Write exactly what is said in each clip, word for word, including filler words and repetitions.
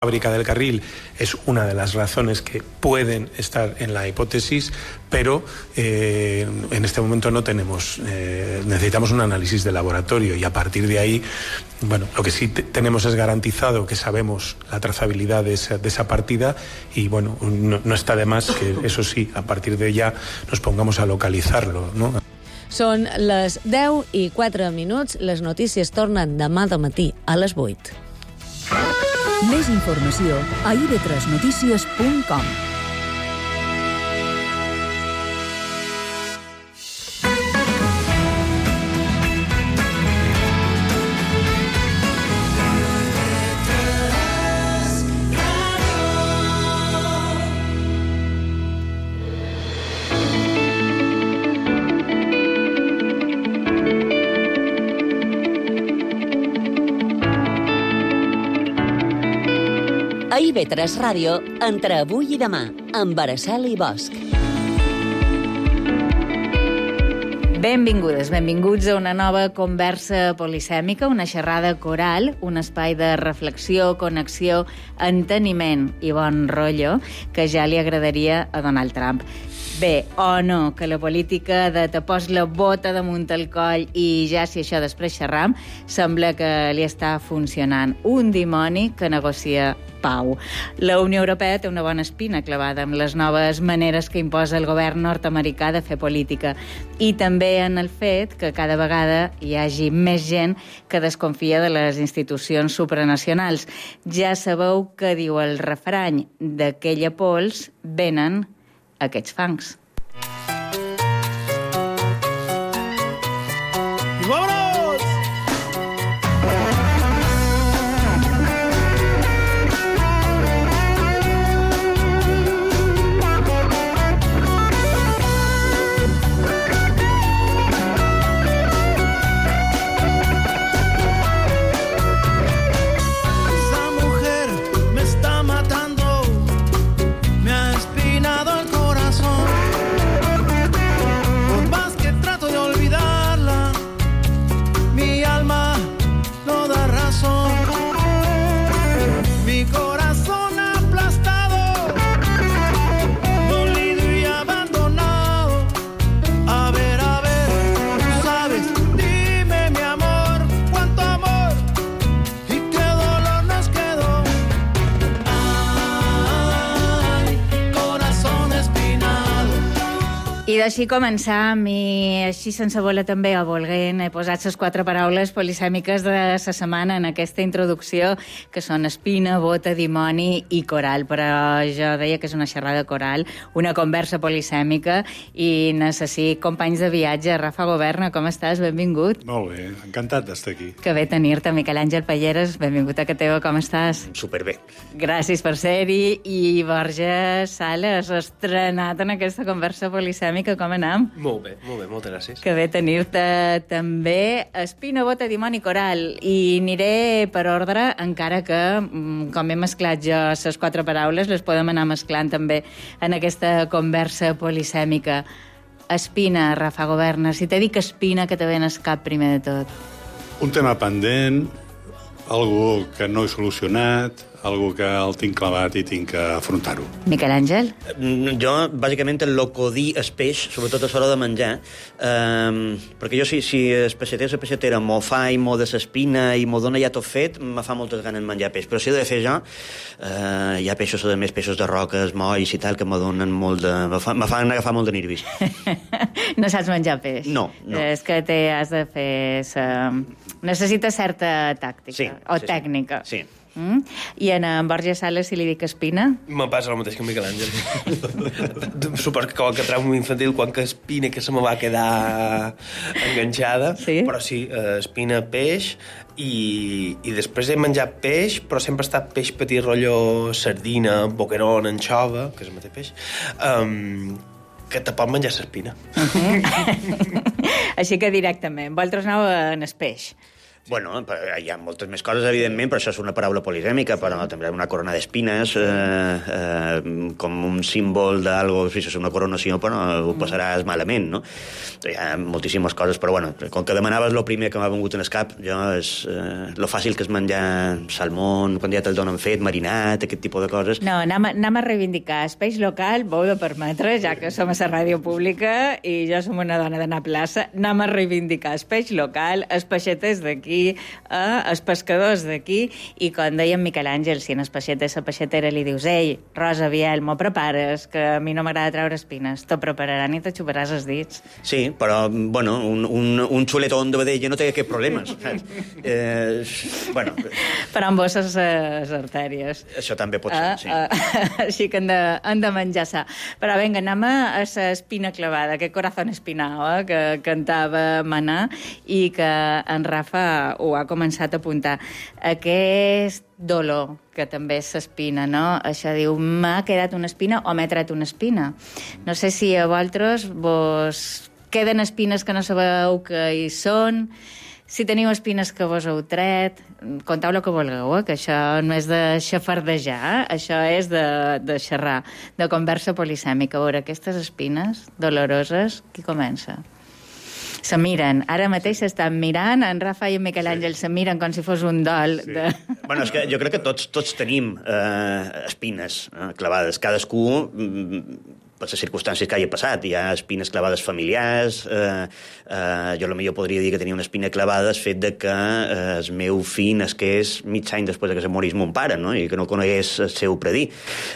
fábrica del carril es una de las razones que pueden estar en la hipótesis, pero eh, en este momento no tenemos, eh, necesitamos un análisis de laboratorio y a partir de ahí, bueno, lo que sí te, tenemos es garantizado que sabemos la trazabilidad de esa, de esa partida y bueno, no, no está de más que eso sí, a partir de ya nos pongamos a localizarlo, ¿no? Són les deu i quatre minuts, les notícies tornen demà de matí a les vuit. Més informació a i ve tres notícies punt com. A i ve tres Ràdio, entre avui i demà, amb Araceli Bosch. Benvingudes, benvinguts a una nova conversa polisèmica, una xerrada coral, un espai de reflexió, connexió, enteniment i bon rotllo que ja li agradaria a Donald Trump. Bé, o no, que la política de te pos la bota damunt el coll i ja si això després xerram, sembla que li està funcionant. Un dimoni que negocia pau. La Unió Europea té una bona espina clavada amb les noves maneres que imposa el govern nord-americà de fer política i també en el fet que cada vegada hi hagi més gent que desconfia de les institucions supranacionals. Ja sabeu què diu el refrany, d'aquella pols venen aquests fangs. ¡Vámonos! I d'així començam, i així sense voler també o volent he posat les quatre paraules polisèmiques de la setmana en aquesta introducció, que són espina, bota, dimoni i coral. Però jo deia que és una xerrada coral, una conversa polisèmica, i necessito companys de viatge. Rafa Governa, com estàs? Benvingut. Molt bé, encantat d'estar aquí. Que bé tenir-te. Miquel Àngel Palleres, benvingut a Cateva, com estàs? Superbé. Gràcies per ser-hi. I Borja Sales, estrenat en aquesta conversa polisèmica. Com anem? Molt bé, molt bé, moltes gràcies. Que bé tenir-te també. Espina, bota, dimoni, coral. I aniré per ordre, encara que, com he mesclat jo les quatre paraules, les podem anar mesclant també en aquesta conversa polisèmica. Espina, Rafa Governa. Si te dic espina, que te ven al cap primer de tot? Un tema pendent, algo que no he solucionat, algo que el tinc clavat i tinc que afrontar-ho. Miquel Àngel? Jo, bàsicament, el locodí és peix, sobretot a l'hora de menjar, eh, perquè jo, si, si el peixater o la peixatera m'ho fa i m'ho de l'espina i m'ho dona ja tot fet, me fa moltes ganes de menjar peix. Però si he de fer jo, eh, hi ha peixos, a més, peixos de roques, molls i tal, que me donen molt de... me, fa, me fan agafar molt de nervis. No saps menjar peix? No, no. És que te has de fer... Sa... Necessites certa tàctica, sí, o sí, tècnica. Sí. Mm? I en, en Borja Sales, si li dic espina? Me passa el mateix que en Miquel Àngel. Suposo que com que trauma infantil, quan que espina que se me va quedar enganxada, sí? Però sí, espina, peix, i, i després he menjat peix, però sempre ha estat peix petit, rotllo sardina, boquerón, anxova, que és el mateix peix, um, que te pot menjar l'espina. Uh-huh. Així que directament. Vosaltres aneu en el peix? Bueno, hi ha moltes més coses, evidentment, però això és una paraula polisèmica, però també una corona d'espines, eh, eh, com un símbol d'algo, si és una coronació, però ho passaràs malament, no? Hi ha moltíssimes coses, però bueno, com que demanaves el primer que m'ha vengut en el cap, jo és eh, lo fàcil que és menjar salmón, quan ja te'l donen fet, marinat, aquest tipus de coses. No, anem a, anem a reivindicar. Espeix local, vau de permetre, ja que som a la ràdio pública i jo som una dona d'anar a plaça, anem a reivindicar espeix local, els peixeters d'aquí, eh, els pescadors d'aquí, i com deia en Miquel Àngel, si en el peixeter la peixetera li dius ei, Rosa, Biel, m'ho prepares, que a mi no m'agrada treure espines, t'ho prepararan i te xuparàs els dits. Sí, però, bueno, un, un, un xuletón de vedella no té aquest problema, saps? Eh, bueno... Però amb vos les, les artèries. Això també pot ser, ah, sí. Ah, així que han de, han de menjar-se. Però vinga, anem a l'espina clavada, aquest corazón espinao, eh, que cantava Manà i que en Rafa ho ha començat a apuntar. Aquest dolor, que també és l'espina, no? Això diu, m'ha quedat una espina o m'he tret una espina. No sé si a vosaltres vos queden espines que no sabeu que hi són, si teniu espines que vos heu tret, contau el que vulgueu, eh? Que això no és de xafardejar, eh? Això és de, de xerrar, de conversa polisèmica. A veure, aquestes espines doloroses, qui comença? Se miren. Ara mateix s'estan mirant, en Rafa i en Miquel Àngel se miren com si fos un dol. Sí. De... Bueno, és que jo crec que tots, tots tenim eh, espines eh, clavades. Cadascú, per les circumstàncies que hagi passat. Hi ha espines clavades familiars, eh, eh, jo potser podria dir que tenia una espina clavada el fet de que eh, el meu fill nasqués mig any després que se morís mon pare, no? I que no conegués el seu predí.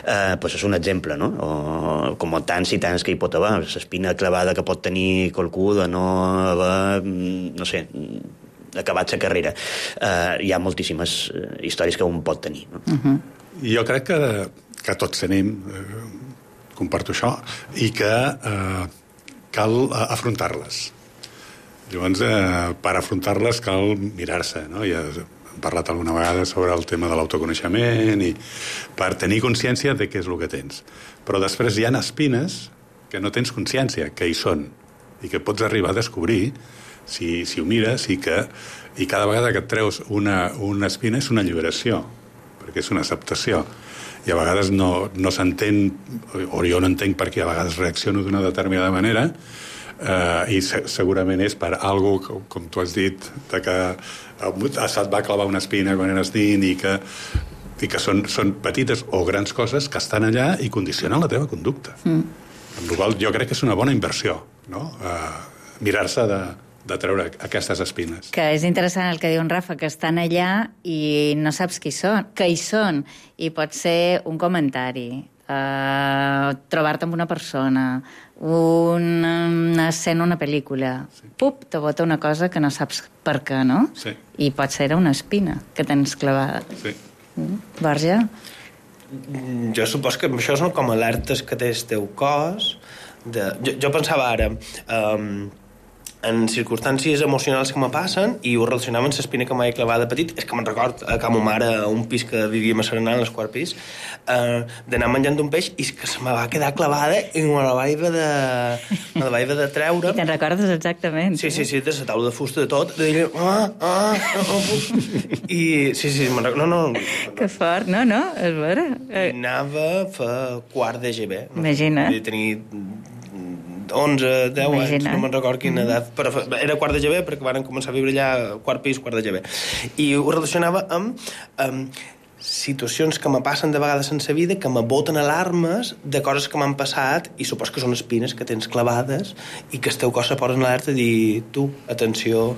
Eh, pues és un exemple, no? O com tants i tants que hi pot haver. L'espina clavada que pot tenir qualcú de no haver, no sé, acabat la carrera. Uh, hi ha moltíssimes històries que un pot tenir. No? Uh-huh. Jo crec que, que tots tenim, eh, comparto això, i que eh, cal afrontar-les. Llavors, eh, per afrontar-les cal mirar-se, no? Ja hem parlat alguna vegada sobre el tema de l'autoconeixement i per tenir consciència de què és el que tens. Però després hi ha espines que no tens consciència, que hi són, i que pots arribar a descobrir si, si ho mires i que i cada vegada que et treus una, una espina és una alliberació, perquè és una acceptació. I a vegades no, no s'entén, o jo no entenc per què a vegades reacciono d'una determinada manera, eh, i se, segurament és per algo, com, com tu has dit, de que se't va clavar una espina quan eres nin i que, i que són, són petites o grans coses que estan allà i condicionen la teva conducta. Mm. Amb la qual jo crec que és una bona inversió, no? Eh, mirar-se de, de treure aquestes espines. Que és interessant el que diu en Rafa, que estan allà i no saps qui són, que hi són, i pot ser un comentari, uh, trobar-te amb una persona, una escena, una pel·lícula, sí. Pup, te bota una cosa que no saps per què, no? Sí. I pot ser una espina que tens clavada. Sí. Mm. Borja? Jo supos que això són com alertes que té el teu cos. De... Jo, jo pensava ara... Um, en circumstàncies emocionals que me passen i ho relacionava amb l'espina que m'havia clavat de petit. És que me'n record a ca ma mare, a un pis que vivíem a Serenà, en el quart pis, eh, d'anar menjant un peix i que se me va quedar clavada i me la vaig haver de, me la vaig haver de treure. I te'n recordes exactament. Sí, sí, sí, de la taula de fusta de tot, de dir, ah, ah, no, no puc. I sí, sí, me'n record, no, no. Que fort, no, no, és vera. I anava a fer quart de G B. No? Imagina't. I tenir onze, deu anys, no me'n record quina edat, però era quart de G B perquè van començar a viure allà quart pis, quart de G B. I ho relacionava amb, amb situacions que me passen de vegades en sa vida, que me boten alarmes de coses que m'han passat i supos que són espines que tens clavades i que el teu cos se posa en alerta i dir, tu, atenció,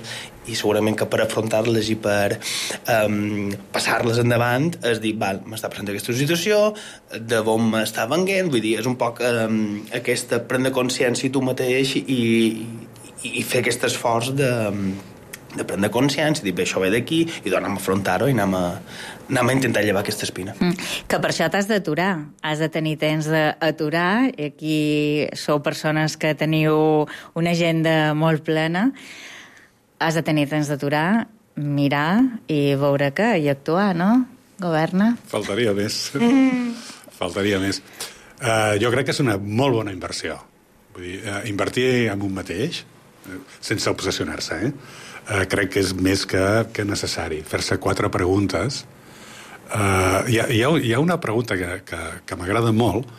i segurament que per afrontar-les i per um, passar-les endavant és dir, val, m'està passant aquesta situació, de on m'està venguent, vull dir, és un poc um, aquesta prendre consciència tu mateix i, i, i fer aquest esforç de, de prendre consciència, dir, bé, això ve d'aquí, i doncs anem a afrontar-ho i anem a, anem a intentar llevar aquesta espina. Mm. Que per això t'has d'aturar, has de tenir temps d'aturar, i aquí sou persones que teniu una agenda molt plena, has de tenir temps d'aturar, mirar i veure què, i actuar, no? Governa. Faltaria més. Mm. Faltaria més. Uh, jo crec que és una molt bona inversió. Vull dir, uh, invertir en un mateix, uh, sense obsessionar-se, eh? eh, crec que és més que, que necessari. Fer-se quatre preguntes. Uh, hi, ha, hi, ha, hi ha una pregunta que, que, que m'agrada molt,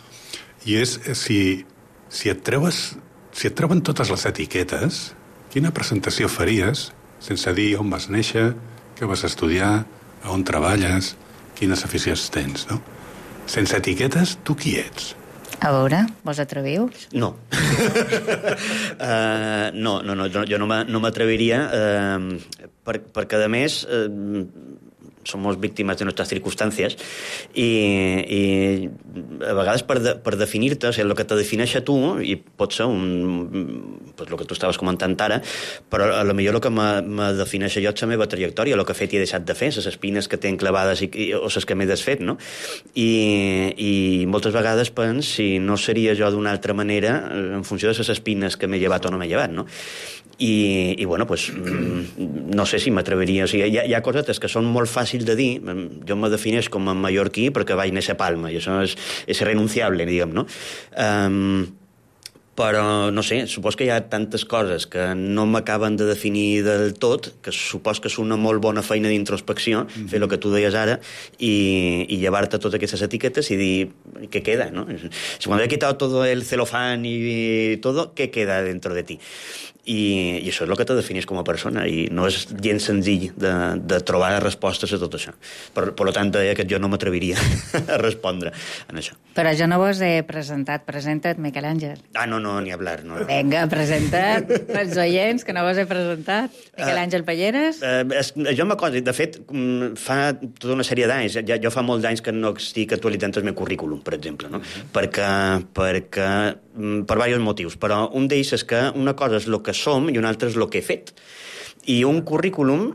i és si, si, et treues, si et treuen totes les etiquetes, quina presentació faries sense dir on vas néixer, què vas estudiar, on treballes, quines aficions tens, no? Sense etiquetes, tu qui ets? A veure, vos atreviu? No. uh, no, no, no, jo no m'atreviria, uh, per, perquè, a més, uh, somos víctimas de nuestras circunstancias i, i a vegades per, de, per definir-te, o sigui, el que te defineix a tu, i pot ser un, pues, el que tu estaves comentant ara, però a lo millor el que me, me defineix a jo és la meva trajectòria, el que he fet i he deixat de fer, les espines que tinc clavades i, i, o les que m'he desfet, no? I, i moltes vegades pens si no seria jo d'una altra manera en funció de les espines que m'he llevat o no m'he llevat, no? I, i bueno, pues, no sé si m'atreveria. O sigui, hi ha, hi ha cosetes que són molt fàcils de dir. Jo me defineix com a mallorquí perquè vaig néixer a Palma, i això és, és irrenunciable, diguem, no? Um, però, no sé, supos que hi ha tantes coses que no m'acaben de definir del tot, que supos que és una molt bona feina d'introspecció, mm-hmm. fer el que tu deies ara, i, i llevar-te totes aquestes etiquetes i dir, què queda, no? Si quan he quitat tot el celofán i tot, què queda dentro de ti? I, i això és el que te definís com a persona, i no és gens senzill de, de trobar respostes a tot això. Per, per tant, deia que jo no m'atreviria a respondre en això. Però jo no vos he presentat. Presenta't, Miquel Àngel. Ah, no, no, ni hablar. No. Vinga, presenta't els oients, que no vos he presentat. Miquel Àngel Palleres. Uh, uh, jo m'acosi, de fet, fa tota una sèrie d'anys, ja, jo fa molts d'anys que no estic actualitzant el meu currículum, per exemple, no? Mm-hmm. perquè, perquè, per diversos motius, però un d'ells és que una cosa és el que som i un altre és el que he fet. I un currículum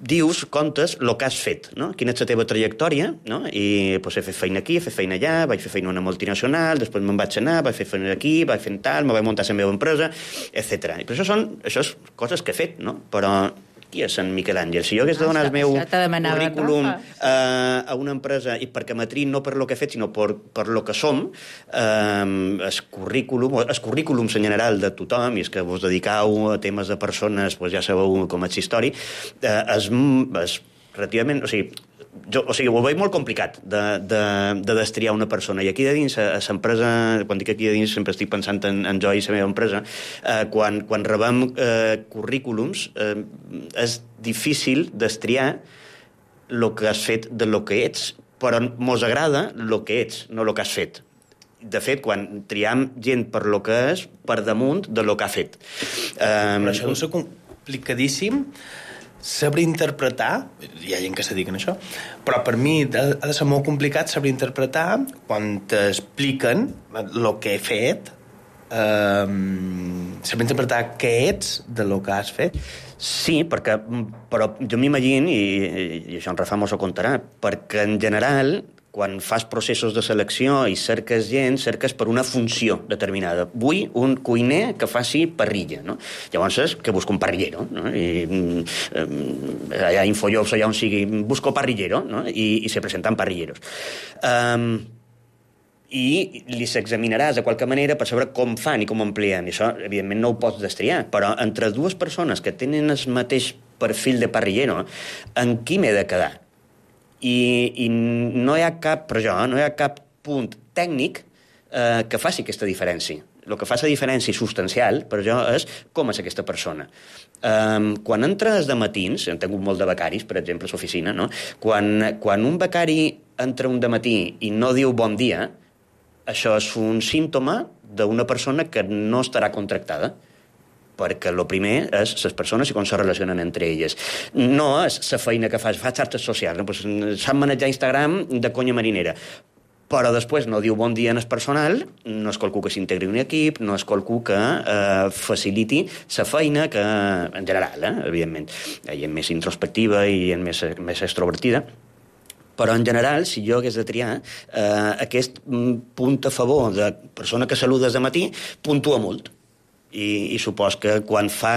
dius, comptes, el que has fet, no? Quina és la teva trajectòria, no? I pues, he fet feina aquí, he fet feina allà, vaig fer feina a una multinacional, després me'n vaig anar, vaig fer feina aquí, vaig fer tal, me vaig muntar la meva empresa, etcètera. I per això són això és coses que he fet, no? Però qui és en Miquel Àngel? Si jo hagués de donar el meu currículum eh, a una empresa, i perquè m'atrin no per lo que he fet, sinó per, per lo que som, eh, el currículum, el currículum en general de tothom, i és que vos dedicau a temes de persones, pues ja sabeu com és història, eh, és, és relativament... O sigui, jo, o sigui, ho veig molt complicat de, de, de destriar una persona, i aquí de dins a l'empresa, quan dic aquí de dins sempre estic pensant en, en jo i la meva empresa, eh, quan, quan rebem eh, currículums eh, és difícil destriar el que has fet de lo que ets, però mos agrada el que ets, no el que has fet. De fet, quan triam gent per lo que és, per damunt de lo que ha fet. Eh, però això deu ser complicadíssim, saber interpretar, hi ha gent que se dediquen a això, però per mi ha de ser molt complicat saber interpretar quan t'expliquen el que he fet, eh, saber interpretar què ets de lo que has fet. Sí, perquè, però jo m'imagino, i, i això en Rafa mos ho contarà, perquè en general, quan fas processos de selecció i cerques gent, cerques per una funció determinada. Vull un cuiner que faci parrilla, no? Llavors és que busco un parrillero, no? I eh, allà a Infojobs, allà on sigui, busco parrillero, no? I, i se presenten parrilleros. Um, i li s'examinaràs de qualque manera per saber com fan i com amplien. I això, evidentment, no ho pots destriar, però entre dues persones que tenen el mateix perfil de parrillero, en qui m'he de quedar? I, i no hi ha cap, però jo, no hi ha cap punt tècnic eh, que faci aquesta diferència. El que fa la diferència substancial, per jo, és com és aquesta persona. Um, quan entres de matins, hem tingut molt de becaris, per exemple, a l'oficina, no? Quan, quan un becari entra un dematí i no diu bon dia, això és un símptoma d'una persona que no estarà contractada, perquè el primer és les persones i com se relacionen entre elles. No és la feina que fas, fa xarxes socials, no? Pues, sap manejar Instagram de conya marinera, però després no diu bon dia en el personal, no és qualcú que s'integri en un equip, no és qualcú que eh, faciliti la feina, que en general, eh, evidentment, hi ha més introspectiva i hi ha més, més extrovertida, però en general, si jo hagués de triar, eh, aquest punt a favor de persona que saludes de matí puntua molt. I, i supos que quan fa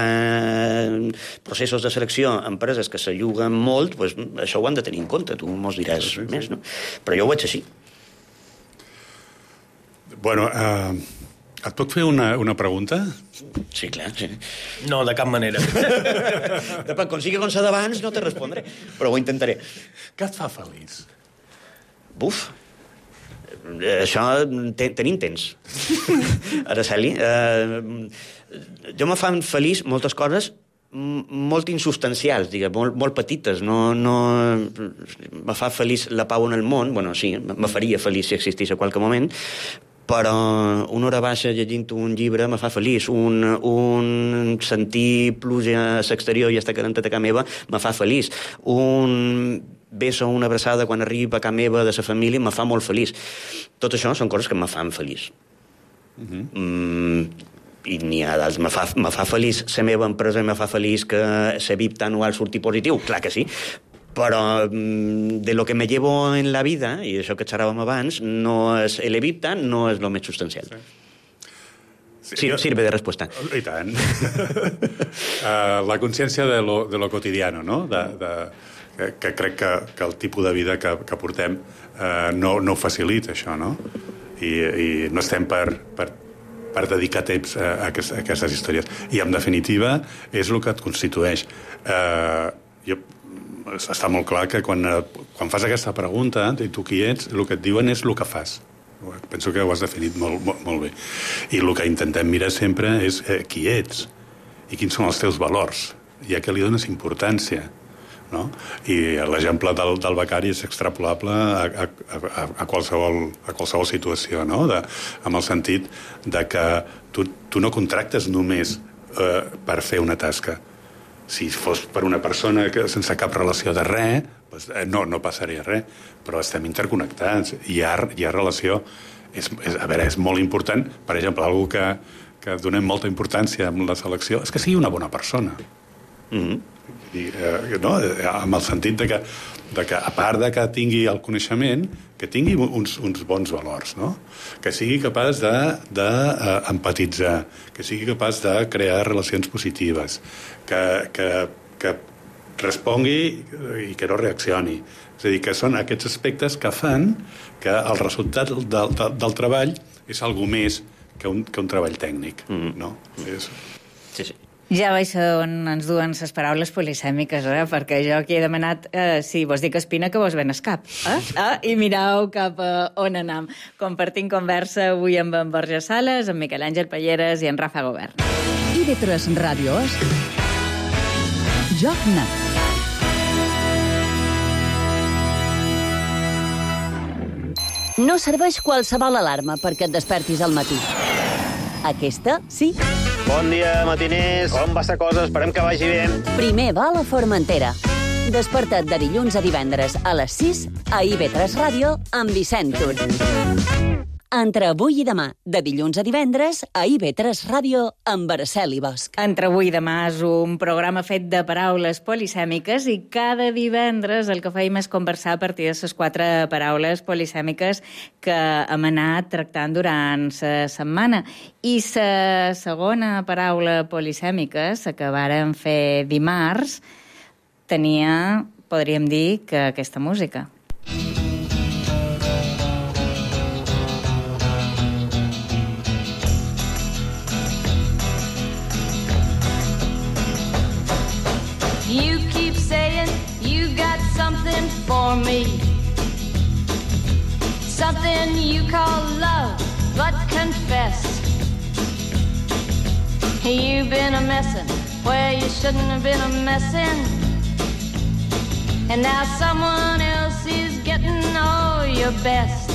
processos de selecció empreses que s'alluguen molt, pues, això ho han de tenir en compte, tu mos diràs sí, sí, més, no? Però jo ho veig així. Bueno, eh, Et puc fer una, una pregunta? Sí, clar, sí. No, de cap manera. Depèn, com sigui com s'ha d'abans, no te respondré, però ho intentaré. Què et fa feliç? Buf, això ten, tenim temps. Araceli, eh, jo me fan feliç moltes coses molt insubstancials, diguem, molt, molt petites. No, no, me fa feliç la pau en el món, bueno, sí, me faria feliç si existís a qualque moment, però una hora baixa llegint un llibre me fa feliç. Un, un sentir pluja a l'exterior i estar calentat a casa meva me fa feliç. Un beso, una abraçada quan arriba a casa meva de la família me fa molt feliç. Tot això són coses que me fan feliç. Uh-huh. Mm, i n'hi ha d'altres. Me fa, me fa feliç la meva empresa, me fa feliç que la V I P anual surti positiu, clar que sí, però de lo que me llevo en la vida, i això que xerràvem abans, no és el evita, no és lo més substancial. Sí. Sí, sirve de respuesta. I tant. uh, la consciència de lo, de lo cotidiano, no? De, de, que, que crec que, que el tipus de vida que, que portem uh, no, no ho facilita, això, no? I, i no estem per, per, per dedicar temps a, a, aquestes, a aquestes històries. I, en definitiva, és el que et constitueix. Uh, jo està molt clar que quan, quan fas aquesta pregunta i tu qui ets, el que et diuen és el que fas. Penso que ho has definit molt, molt, molt bé. I el que intentem mirar sempre és eh, qui ets i quins són els teus valors i a què li dones importància. No? I l'exemple del, del becari és extrapolable a, a, a, a, qualsevol, a qualsevol situació, no? De, amb el sentit de que tu, tu no contractes només eh, per fer una tasca. Si fos per una persona que sense cap relació de res, doncs, eh, no, no passaria res, però estem interconnectats, hi ha, hi ha relació. És, és, a veure, és molt important, per exemple, algú que, que donem molta importància amb la selecció, és que sigui una bona persona. Mm-hmm. I, eh, no? Amb el sentit de que, de que, a part de que tingui el coneixement, que tingui uns, uns bons valors, no? Que sigui capaç d'empatitzar, de, uh, que sigui capaç de crear relacions positives, que, que, que respongui i que no reaccioni. És a dir, que són aquests aspectes que fan que el resultat del, del, del treball és algo més que un, que un treball tècnic, mm. no? És... Sí, sí. Ja veig on ens duen les paraules polisèmiques, eh? Perquè jo aquí he demanat eh, si vos dic espina que vos ven es cap. Eh? Ah, i mirau cap a on anam. Compartint conversa avui amb en Borja Sales, amb Miquel Àngel Palleres i en Rafa Govern. I de tres ràdios, Joc Net. No serveix qualsevol alarma perquè et despertis al matí. Aquesta, sí. Bon dia, matiners. Com va la cosa? Esperem que vagi bé. Primer va a la Formentera. Desperta't de dilluns a divendres a les sis a I V tres Ràdio amb Vicent Tur. Entre avui i demà, de dilluns a divendres a I V tres Ràdio amb Araceli Bosch. Entre avui i demà és un programa fet de paraules polisèmiques i cada divendres el que feim és conversar a partir de les quatre paraules polisèmiques que hem anat tractant durant la setmana. I la segona paraula polisèmica, la que vàrem fer dimarts, tenia, podríem dir, que aquesta música. You keep saying you got something for me, something you call love, but confess you've been a messin' where you shouldn't have been a messin', and now someone else is getting all your best.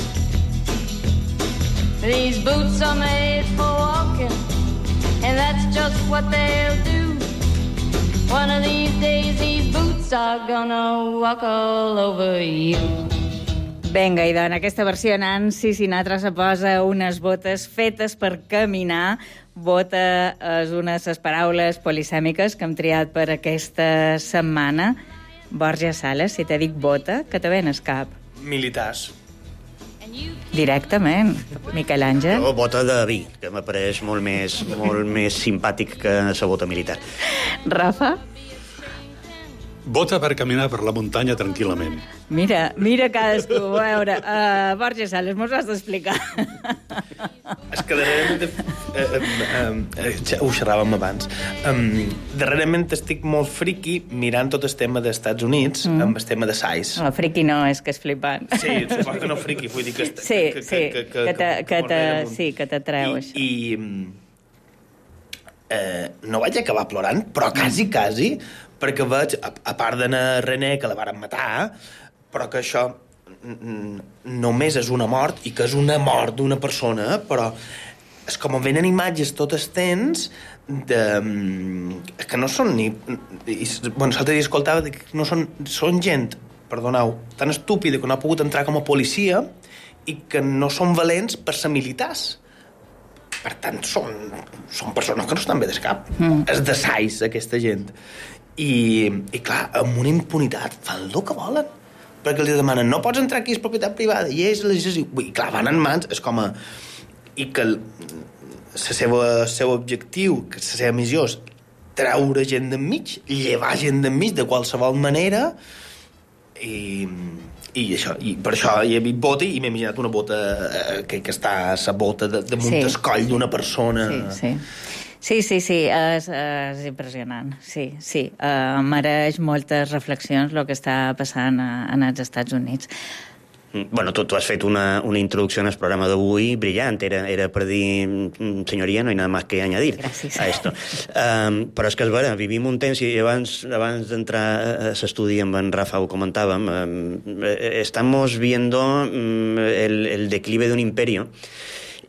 These boots are made for walking, and that's just what they'll do. One of these days these boots are gonna walk all over you. Vinga, i en aquesta versió Nancy Sinatra se posa unes botes fetes per caminar. Bota és una de les paraules polisèmiques que hem triat per aquesta setmana. Borja Sales, si te dic bota, que te ven el cap? Militars. Directament. Miquel Àngel? O bota de vi, que m'apareix molt més, molt més simpàtic que la bota militar. Rafa? Vota per caminar per la muntanya tranquil·lament. Mira, mira cadascú. A veure, uh, Borja Sales, mos has d'explicar. És que darrerament... Eh, eh, eh, ja ho xerràvem abans. Um, darrerament estic molt friqui mirant tot el tema dels Estats Units mm. amb el tema de size. No, friqui no, és que és flipant. Sí, suposo que no friqui, vull dir que... Sí, que, sí, que, que, que, te, que, te, sí, que t'atreu, I, això. I eh, no vaig acabar plorant, però quasi, quasi, perquè veig, a, a part d'anar René, que la varen matar, però que això només és una mort, i que és una mort d'una persona, però és com venen imatges tot el temps de, que no són ni... I, bueno, l'altre dia escoltava que no són, són gent, perdoneu, tan estúpida que no ha pogut entrar com a policia i que no són valents per ser militars. Per tant, són, són persones que no estan bé del cap. Mm. És de sais, aquesta gent. I, i clar, amb una impunitat fan el que volen. Perquè els demanen, no pots entrar aquí, és propietat privada, i és legislació. I clar, van en mans, és com a... I que el, el seu, el seu objectiu, que la seva missió és treure gent d'enmig, llevar gent d'enmig de qualsevol manera, i, i això, i per això hi he vist bota i m'he imaginat una bota eh, que, que està a la bota de, de munt el coll d'una persona. Sí, sí. Sí, sí, sí, és, és impressionant, sí, sí. Uh, mereix moltes reflexions el que està passant a, en els Estats Units. Bueno, tu, tu has fet una, una introducció en el programa d'avui brillant, era, era per dir, senyoria, no hay nada más que añadir Gràcies. a esto. Um, però és que, és vera, vivim un temps, i abans, abans d'entrar a l'estudi amb en Rafa ho comentàvem, um, estamos viendo um, el, el declive de un imperio.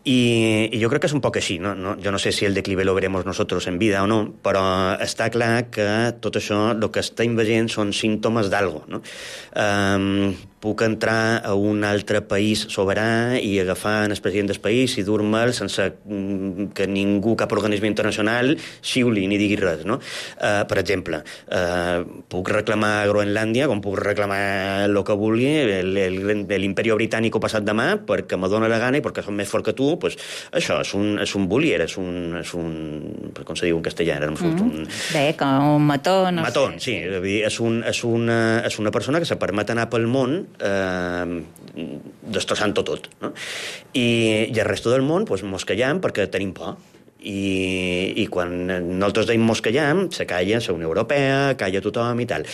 I, i jo crec que és un poc així, no? No, jo no sé si el declive lo veremos nosotros en vida o no, però està clar que tot això, el que està veient són símptomes d'algo, no? Um, puc entrar a un altre país soberà i agafar el president del país i dur-me'l sense que ningú, cap organisme internacional, xiuli ni digui res, no? Uh, per exemple, uh, puc reclamar Groenlàndia com puc reclamar el que vulgui, l'imperi britànic passat demà, perquè me dóna la gana i perquè som més fort que tu, pues, això és un, és un bullier, és un, és un... com se diu en castellà? Era un, mm. un... Bé, com un mató, no matón, sé. sí. És, dir, és, un, és, una, és una persona que se permet anar pel món eh, destrossant-ho tot, no? I, i el resto del món pues, mosquejam perquè tenim por. I, i quan nosaltres deim mosquejam, se calla la Unió Europea, calla tothom i tal.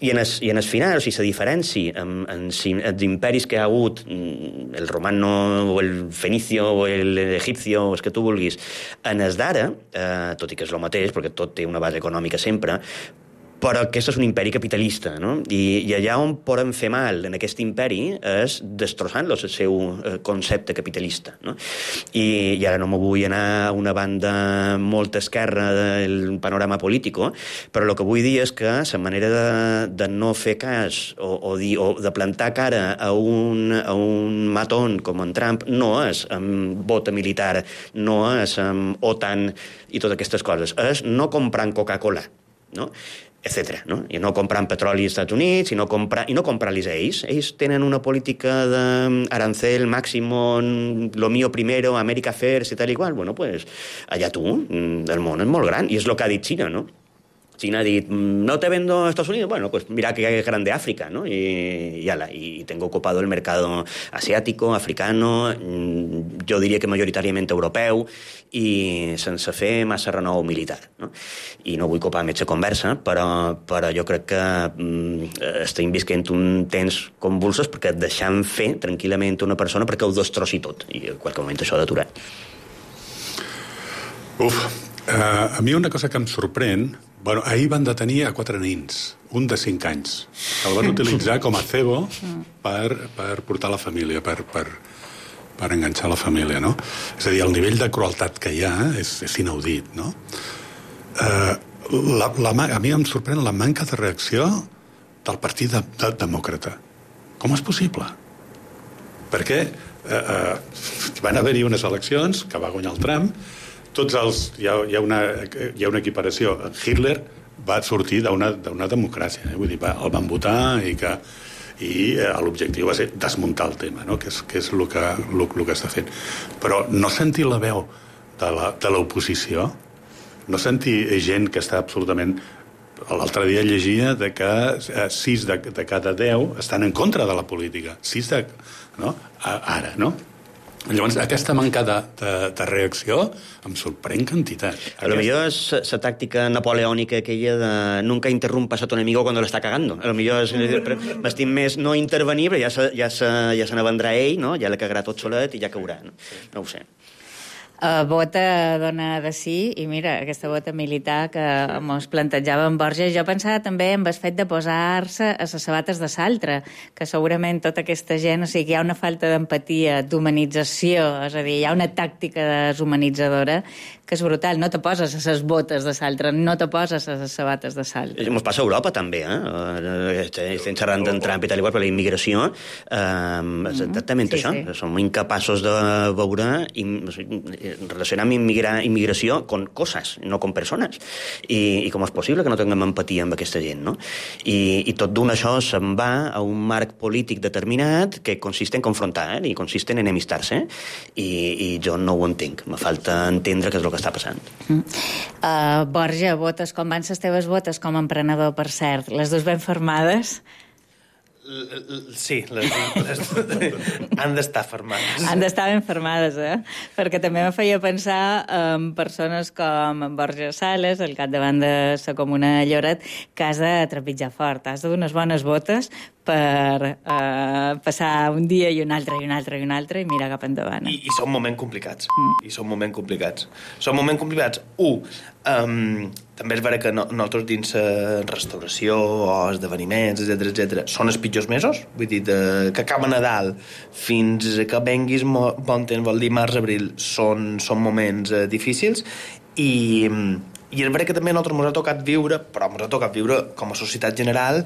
I en el, i en el final, o sigui, la diferència amb, amb els imperis que ha hagut, el romano o el fenicio o l'egipcio, o el que tu vulguis, en el d'ara, eh, tot i que és el mateix, perquè tot té una base econòmica sempre, però aquest és un imperi capitalista, no? I, i allà on poden fer mal en aquest imperi és destrossant-los el seu concepte capitalista, no? I, i ara no m'ho vull anar a una banda molt esquerra del panorama polític, però el que vull dir és que la manera de, de no fer cas o, o, dir, o de plantar cara a un, a un matón com en Trump no és amb bota militar, no és amb OTAN i totes aquestes coses, és no comprant Coca-Cola, no? etcètera, no? I no comprant petroli als Estats Units, i no, comprar, i no comprar-los a ells. Ells tenen una política d'arancel máximo, lo mío primero, America First i tal i qual. Bueno, pues, allà tu, el món és molt gran, i és el que ha dit Xina, no? China ha dit, no te vendo a Estados Unidos, bueno, pues mira que grande África, ¿no? Y, y, ala, y tengo ocupado el mercado asiático, africano, yo diría que majoritàriament europeu, i sense fer massa renou militar, no? I no vull copar metge conversa, però, però jo crec que mm, estem visquent un temps convulsos perquè deixant fer tranquil·lament una persona perquè ho destrossi tot, i en qualsevol moment això ha d'aturar. Uf, uh, a mi una cosa que em sorprèn. Bueno, ahir van detenir a quatre nins, un de cinc anys. El van utilitzar com a cebo per, per portar la família, per, per, per enganxar la família, no? És a dir, el nivell de crueltat que hi ha és, és inaudit, no? Uh, la, la, a mi em sorprèn la manca de reacció del Partit de, de, Demòcrata. Com és possible? Perquè uh, uh, van haver-hi unes eleccions que va guanyar el Trump. Tots els, hi, ha, hi, ha una, hi ha una equiparació. Hitler va sortir d'una democràcia, eh? Vull dir, va, el van votar i que i eh, l'objectiu va ser desmuntar el tema, no? que és, que és el, que, el, el que està fent. Però no sentir la veu de l'oposició, no sentir gent que està absolutament l'altre dia llegia de que sis de, de cada deu estan en contra de la política. sis de... No? Ara, no? Llavors, aquesta manca de, de, de reacció em sorprèn quantitat. A lo millor és la tàctica napoleònica aquella de nunca interrumpas a tu enemigo cuando lo está cagando. A lo millor m'estim més no intervenir, però ja se, ja se, ja se n'avendrà ell, no? Ja la cagarà tot solet i ja caurà. No, no ho sé. Uh, vota dona de sí, i mira, aquesta vota militar que mos plantejava en Borja, jo pensava també en el fet de posar-se a les sabates de l'altre, que segurament tota aquesta gent, o sigui, hi ha una falta d'empatia, d'humanització, és a dir, hi ha una tàctica deshumanitzadora que és brutal, no te poses a les botes de l'altre, no te poses a les sabates de l'altre. Ens passa a Europa també, eh? Estem xerrant d'en Trump i tal, igual, per la immigració, eh, és exactament sí, això, sí. Som incapaços de veure i relacionar amb immigra, immigració con coses, no con persones. I, i com és possible que no tinguem empatia amb aquesta gent, no? I, i tot d'un això se'n va a un marc polític determinat que consiste en confrontar, eh? I consiste en enemistar-se, i, i jo no ho entenc. Me falta entendre què és el que està passant. Mm. Uh, Borja, votes, com van les teves votes com a emprenedor, per cert? Les dues ben formades? Sí, les, les, han d'estar fermades. Han d'estar ben fermades, eh? Perquè també me feia pensar en persones com en Borja Sales, el capdavant de la Comuna de Lloret, que has de trepitjar fort, has de donar unes bones botes per eh, passar un dia i un altre i un altre i un altre i mirar cap endavant. I, i són moments complicats. Mm. I són moments complicats. Són moments complicats. Un, um, també és vera que no, nosaltres dins la restauració o esdeveniments, etcètera, etcètera, són els pitjors mesos. Vull dir, de, que acaba Nadal fins que venguis bon temps, vol dir març-abril, són, són moments eh, difícils i... I és veritat que també a nosaltres ens ha tocat viure, però ens ha tocat viure com a societat general,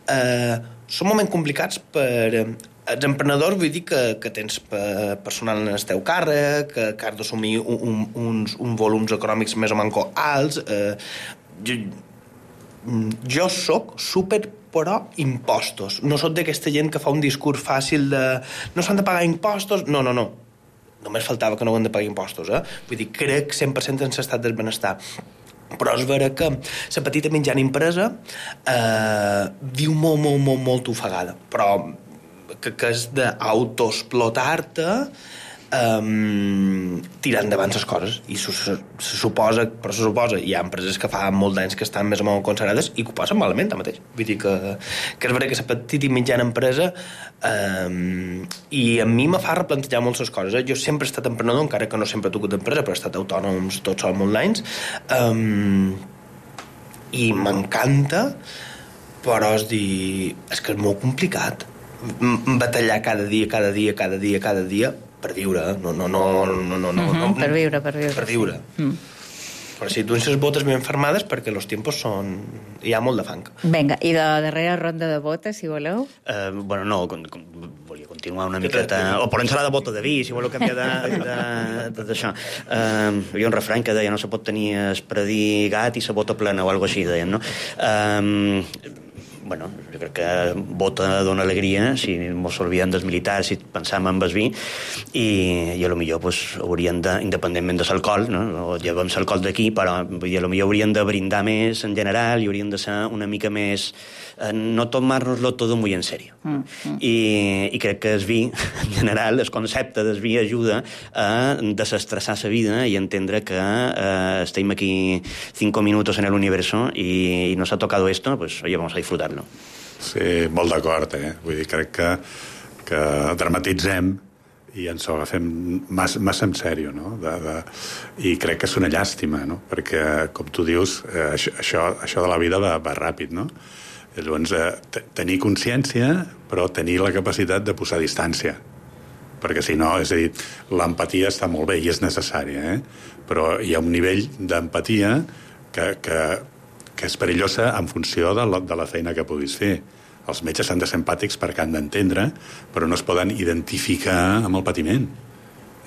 eh, són moments complicats per eh, els emprenedors, vull dir que, que tens personal en el teu càrrec, que, que has d'assumir un, un, uns, uns volums econòmics més o manco alts. Eh, jo, jo soc super pro impostos. No soc d'aquesta gent que fa un discurs fàcil de no s'han de pagar impostos. No, no, no. Només faltava que no ho han de pagar impostos, eh? Vull dir, crec cent per cent en l'estat del benestar. Però és vera que la petita mitjana empresa eh, viu molt, molt, molt, molt ofegada. Però que, que és d'autoexplotar-te um, tirant endavant les coses. I se, se, se suposa, però se suposa, hi ha empreses que fa molt d'anys que estan més o menys consagrades i que ho passen malament, mateix. Vull dir que, que és vera que la petita i mitjana empresa um, i a mi me fa replantejar moltes coses. Eh? Jo sempre he estat emprenedor, encara que no sempre he tocat d'empresa, però he estat autònoms tots som online, um, i m'encanta, però és dir, és que és molt complicat batallar cada dia, cada dia, cada dia, cada dia per viure, no, no, no, no, no, no, mm-hmm, no per viure, per viure. Per viure. Mm. Però si tu ens botes ben fermades perquè els tiempos són... hi ha molt de fang. Vinga, i de darrera ronda de botes, si voleu? Uh, bueno, no, con, con, volia continuar una miqueta... O per ensalada de bota de vi, si voleu canviar d'això. Uh, hi ha un refrany que deia no se pot tenir espredir gat i sa bota plena o alguna així, deien, no? Uh, bueno, jo crec que bota dona alegria si mos olvidem dels militars, si pensam en el vi i, i a lo millor pues, haurien de, independentment de l'alcohol, no? O llevem l'alcohol d'aquí, però vull dir, a lo millor haurien de brindar més en general i haurien de ser una mica més eh, no tomar-nos-lo tot muy en serio. Mm, mm. I, i crec que el vi, en general, el concepte del vi ajuda a desestressar la vida i entendre que eh, estem aquí cinco minutos en el universo i, i nos ha tocado esto, pues oye, vamos a disfrutarlo. Sí, molt d'acord, eh? Vull dir, crec que, que dramatitzem i ens ho agafem massa, massa en sèrio, no? De, de, I crec que és una llàstima, no? Perquè, com tu dius, eh, això, això de la vida va, va ràpid, no? I llavors, eh, tenir consciència, però tenir la capacitat de posar distància. Perquè, si no, és a dir, l'empatia està molt bé i és necessària, eh? Però hi ha un nivell d'empatia que... que que és perillosa en funció de la, de la feina que puguis fer. Els metges han de ser empàtics perquè han d'entendre, però no es poden identificar amb el patiment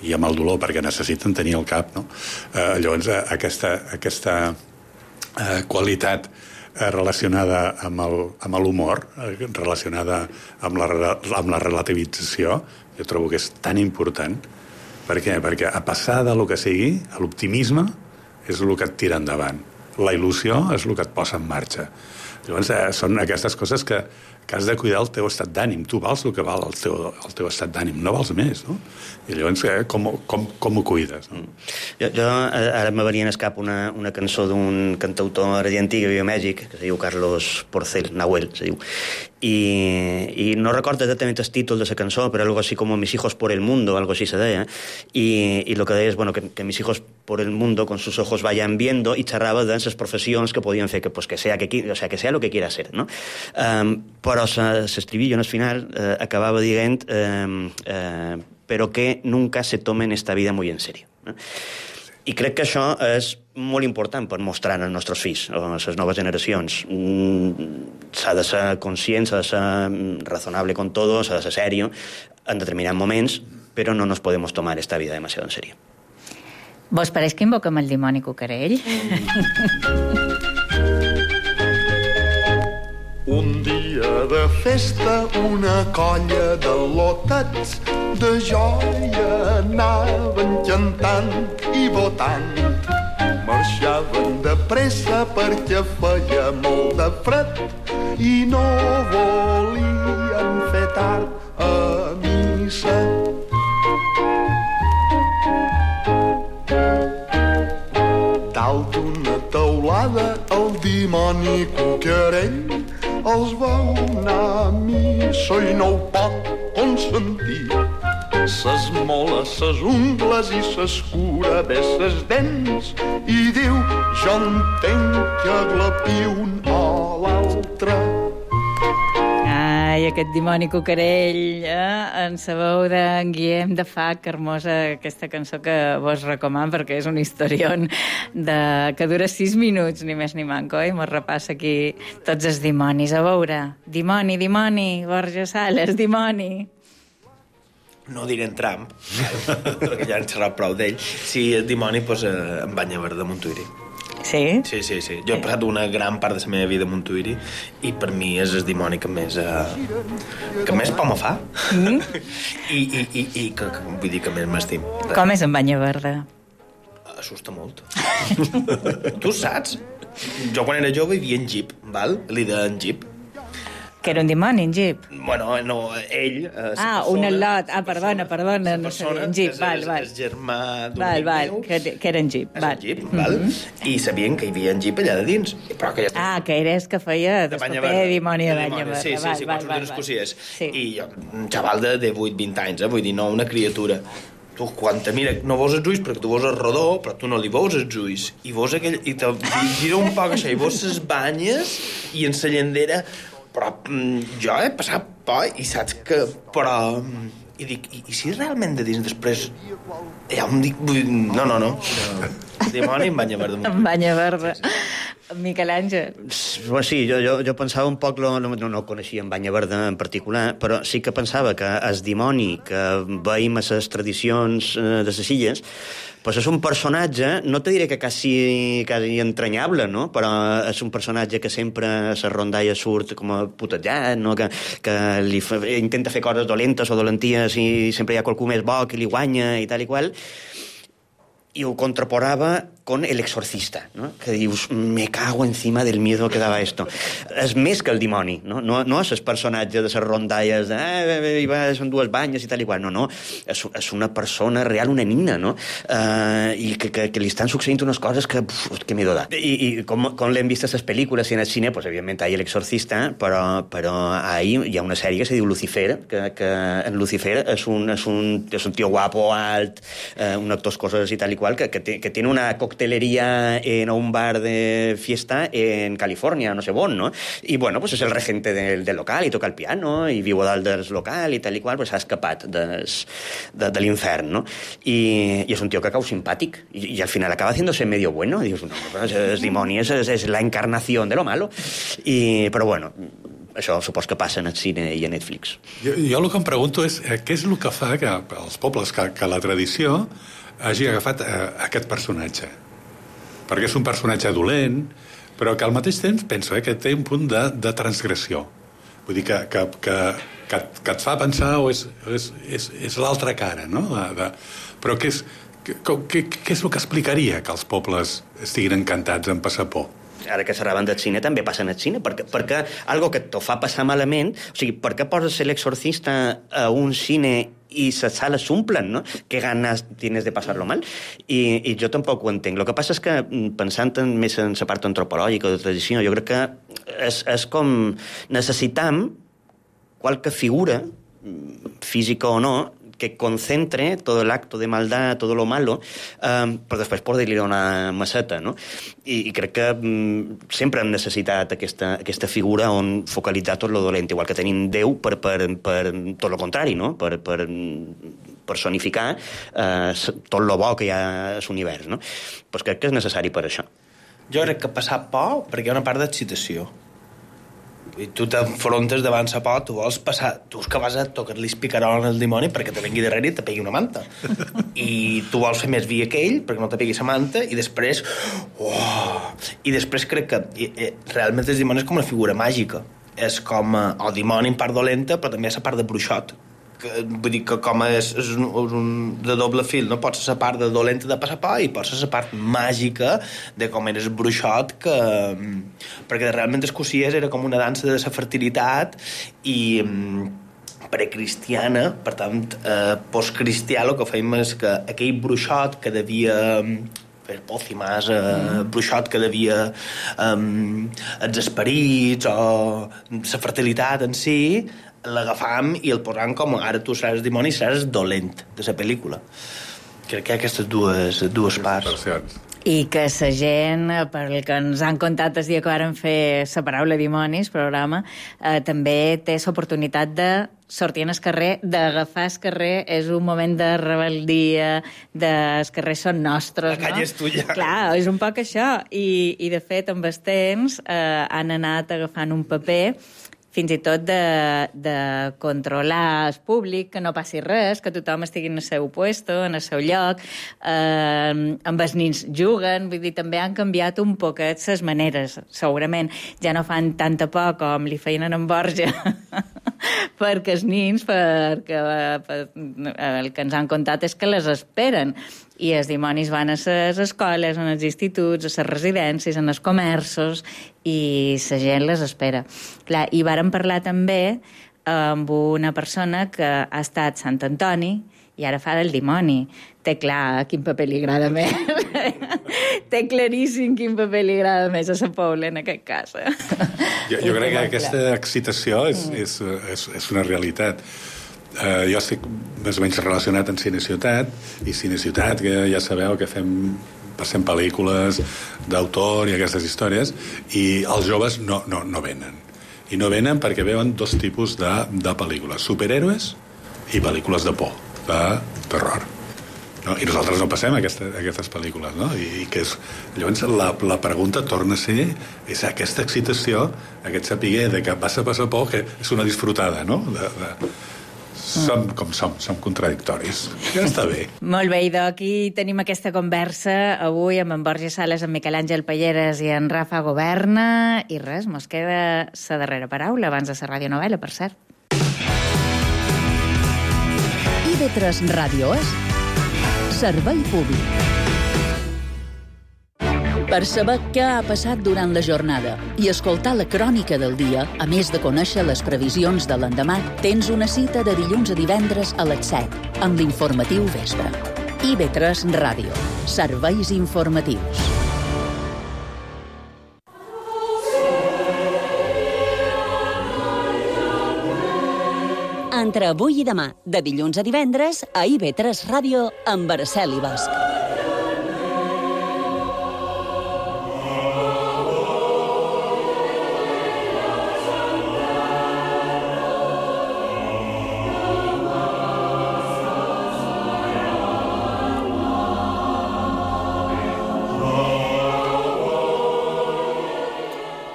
i amb el dolor, perquè necessiten tenir el cap, no? Eh, llavors, eh, aquesta, aquesta eh, qualitat eh, relacionada amb l'humor, eh, relacionada amb la, amb la relativització, jo trobo que és tan important. Per què? Perquè a passar de lo que sigui, l'optimisme és el que et tira endavant. la il·lusió és el que et posa en marxa. Llavors, eh, són aquestes coses que, que has de cuidar el teu estat d'ànim. Tu vals el que val el teu, el teu estat d'ànim, no vals més, no? I llavors, eh, com, com, com ho cuides? No? Jo, jo ara me venia en escap una, una cançó d'un cantautor argentí que viu a Mèxic, que se diu Carlos Porcel, Nahuel, se diu. I, i no recordo exactament el títol de la cançó, però algo así como Mis hijos por el mundo, algo así se deia, y, y lo que deia és, bueno, que, que mis hijos por el mundo con sus ojos vayan viendo, y xerrava de les professions que podien fer, que, pues, que, sea, que, o sea, que sea lo que quiera ser, no? Um, però s'estribillo en el final eh, acabava dient eh, eh, però que nunca se tomen esta vida muy en serio, no? I crec que això és molt important per mostrar als nostres fills, a les noves generacions. S'ha de ser conscient, s'ha de ser razonable con todo, s'ha de ser serio en determinats moments, però no nos podemos tomar esta vida demasiado en serio. Vos pareix que invoquem el dimoni cucarell? Un dia de festa, una colla de lotats de joia anaven cantant i votant. Marxaven de pressa perquè feia molt de fred i no volien fer tard a missa. Dalt d'una teulada el dimoni cucarell els veu anar a missa i no ho pot consentir. S'esmola ses ungles i s'escura bé ses dents i diu, jo entenc que aglapi un o l'altre. Ai, aquest dimoni cucarell, eh? En sa veu d'en Guillem de Fac, hermosa aquesta cançó que vos recomano perquè és un historion de... que dura sis minuts, ni més ni manco, i mos repassa aquí tots els dimonis. A veure, dimoni, dimoni, Borja Sales, dimoni. No diré en Trump, perquè ja han xerrat prou d'ell. Si el dimoni, doncs, eh, en Banyaverd de Montuïri. Sí? Sí, sí, sí. Jo he passat una gran part de la meva vida a Montuïri i per mi és el dimoni que més eh, que més por me fa. Mm? I, i, i, i que, que, vull dir que més m'estim. Com és en Banyaverda? Assusta molt. Tu saps? Jo quan era jove vivia en Jeep, val? Li deien Jeep. Que era un dimoni, en Jeep? Bueno, no, ell... Eh, ah, un al·lot. Ah, perdona, perdona, no sabia. En Jeep, val, val. És el germà d'un val, val, que, que era en Jeep, val. És en Jeep, val? Mm-hmm. I sabien que hi havia en Jeep allà de dins. Però que ja... Ah, que eres que feia de paper dimoni de Banyaverda. Sí, sí, sí, quan surten els cossiers. I jo, un xaval de, de vuit vint anys, eh? Vull dir, no una criatura. Tu, quan te mira, no veus els ulls perquè tu veus el rodó, però tu no li veus els ulls. I veus aquell... I te gira un poc això, i veus les banyes i en la llandera... Però mm, jo he passat por i saps que... Però... I dic, i, i si realment de dins després hi ha un... No, no, no. Dimoni en Banyaverda. En Banyaverda. Miquel Àngel. Sí, jo, jo, jo pensava un poc, no, no, no coneixia en Banyaverda en particular, però sí que pensava que el dimoni que veiem a les tradicions de les illes, pues és un personatge, no te diré que quasi, quasi entranyable, no? Però és un personatge que sempre a la rondalla surt com a putejat, no? Que, que li fa, intenta fer coses dolentes o dolenties i sempre hi ha qualcú més bo que li guanya i tal i qual. I ho contraporava con El Exorcista, ¿no? Que dius, me cago encima del miedo que daba esto. És més que el dimoni, no? No, no és el personatge de les rondalles de eh, va, són dues banyes i tal i qual, no, no. És, és una persona real, una nina, no? Uh, I que, que, que li estan succeint unes coses que, uf, que miedo da. I, i com, com l'hem vist a les pel·lícules i en el cine, pues, evidentment, hi ha El Exorcista, però, però ahí hi ha una sèrie que se diu Lucifer, que, que en Lucifer és un, és un, és un tio guapo, alt, uh, un actor coses i tal i qual, que, que, té, que tiene una coctelería en un bar de fiesta en California, no sé on, no? I, bueno, pues és el regente del, del local i toca el piano i viu a dalt del local i tal i qual, pues s'ha escapat des, de, de l'infern, no? I, i és un tio que cau simpàtic i, i al final acaba haciéndose medio bueno i dius, no, és, és dimoni, és, és la encarnació de lo malo. I, però bueno, això supos que passa en el cine i a Netflix. Jo, jo el que em pregunto és eh, què és el que fa que els pobles, que, que la tradició hagi agafat eh, aquest personatge. Perquè és un personatge dolent, però que al mateix temps penso eh, que té un punt de, de transgressió. Vull dir que, que, que, que, que et fa pensar o és, és, és, és l'altra cara, no? De, de, però que és, què, què és el que explicaria que els pobles estiguin encantats en passar por? Ara que xerraven del cine, també passen al cine, perquè, perquè algo que t'ho fa passar malament, o sigui, per què poses l'exorcista a un cine i les sales s'omplen, no? Que ganes tienes de passar-lo mal? I, I jo tampoc ho entenc. El que passa és que, pensant en, més en la part antropològica o de tradició, jo crec que és, és com necessitam qualque figura, física o no, que concentre todo el acto de maldad, todo lo malo, um, però després poder-li donar maceta, no? I, i crec que um, sempre hem necessitat aquesta, aquesta figura on focalitzar tot lo dolent, igual que tenim Déu per, per, per tot lo contrari, no? Per, per personificar uh, tot lo bo que hi ha a l'univers, no? Pues crec que és necessari per això. Jo crec que passar por perquè hi ha una part d'excitació. I tu t'enfrontes davant la por, tu vols passar... Tu és que vas a tocar-li el picarol al dimoni perquè te vengui darrere i te pegui una manta. I tu vols fer més via que ell perquè no te pegui la manta i després... Oh! I després crec que i, i, realment el dimoni és com una figura màgica. És com... El dimoni en part dolenta, però també és la part de bruixot. Que, vull dir que com és, és, un, és un de doble fil, no? Pots ser la part de dolenta de passar por i pots ser la part màgica de com eres bruixot, que perquè realment el Cossiers era com una dansa de la fertilitat i precristiana, per tant eh, postcristià el que fèiem és que aquell bruixot que devia fer pòcimes, eh, mm. bruixot que devia um, els esperits o la fertilitat en si, l'agafam i el posam com ara tu seràs dimoni i seràs dolent de la pel·lícula. Crec que hi ha aquestes dues, dues parts. I que la gent, per el que ens han contat el dia que varen fer la paraula dimonis, programa, eh, també té l'oportunitat de sortir al carrer, d'agafar el carrer, és un moment de rebel·lia, de els carrers són nostres, la canya no? és tuya. Clar, és un poc això. I, i de fet, amb els temps, eh, han anat agafant un paper fins i tot de, de controlar el públic, que no passi res, que tothom estigui en el seu puesto, en el seu lloc, eh, amb els nins juguen, vull dir, també han canviat un poquet les maneres, segurament. Ja no fan tanta por com li feien en Borja, perquè els nins, perquè per, el que ens han contat és que les esperen, i els dimonis van a les escoles, a els instituts, a les residències, a els comerços, i la gent les espera. Clar, i vàrem parlar també amb una persona que ha estat Sant Antoni i ara fa del dimoni. Té clar quin paper li agrada més. Té claríssim quin paper li agrada més a la Paula, en aquest cas. Jo, jo crec que aquesta excitació és, és, és, és una realitat. Uh, jo estic més o menys relacionat amb Cine Ciutat, i Cine Ciutat, que ja sabeu que fem, passem pel·lícules d'autor i aquestes històries, i els joves no, no, no venen. I no venen perquè veuen dos tipus de, de pel·lícules, superhéroes i pel·lícules de por, de terror. No? I nosaltres no passem aquesta, aquestes pel·lícules, no? I, i que és, llavors la, la pregunta torna a ser és aquesta excitació, aquest sapiguer de que vas a passar por, que és una disfrutada, no? De, de, som com som, som contradictoris. Ja està bé. Molt bé, i d'aquí tenim aquesta conversa avui amb en Borja Sales, en Miquel Àngel Palleres i en Rafa Governa, i res, mos queda la darrera paraula abans de la radionovela, per cert. I ve tres Ràdio és Servei Públic. Per saber què ha passat durant la jornada i escoltar la crònica del dia, a més de conèixer les previsions de l'endemà, tens una cita de dilluns a divendres a les set, amb l'informatiu Vespre. I ve tres Ràdio. Serveis informatius. Entre avui i demà, de dilluns a divendres, a I ve tres Ràdio, amb Araceli Bosch.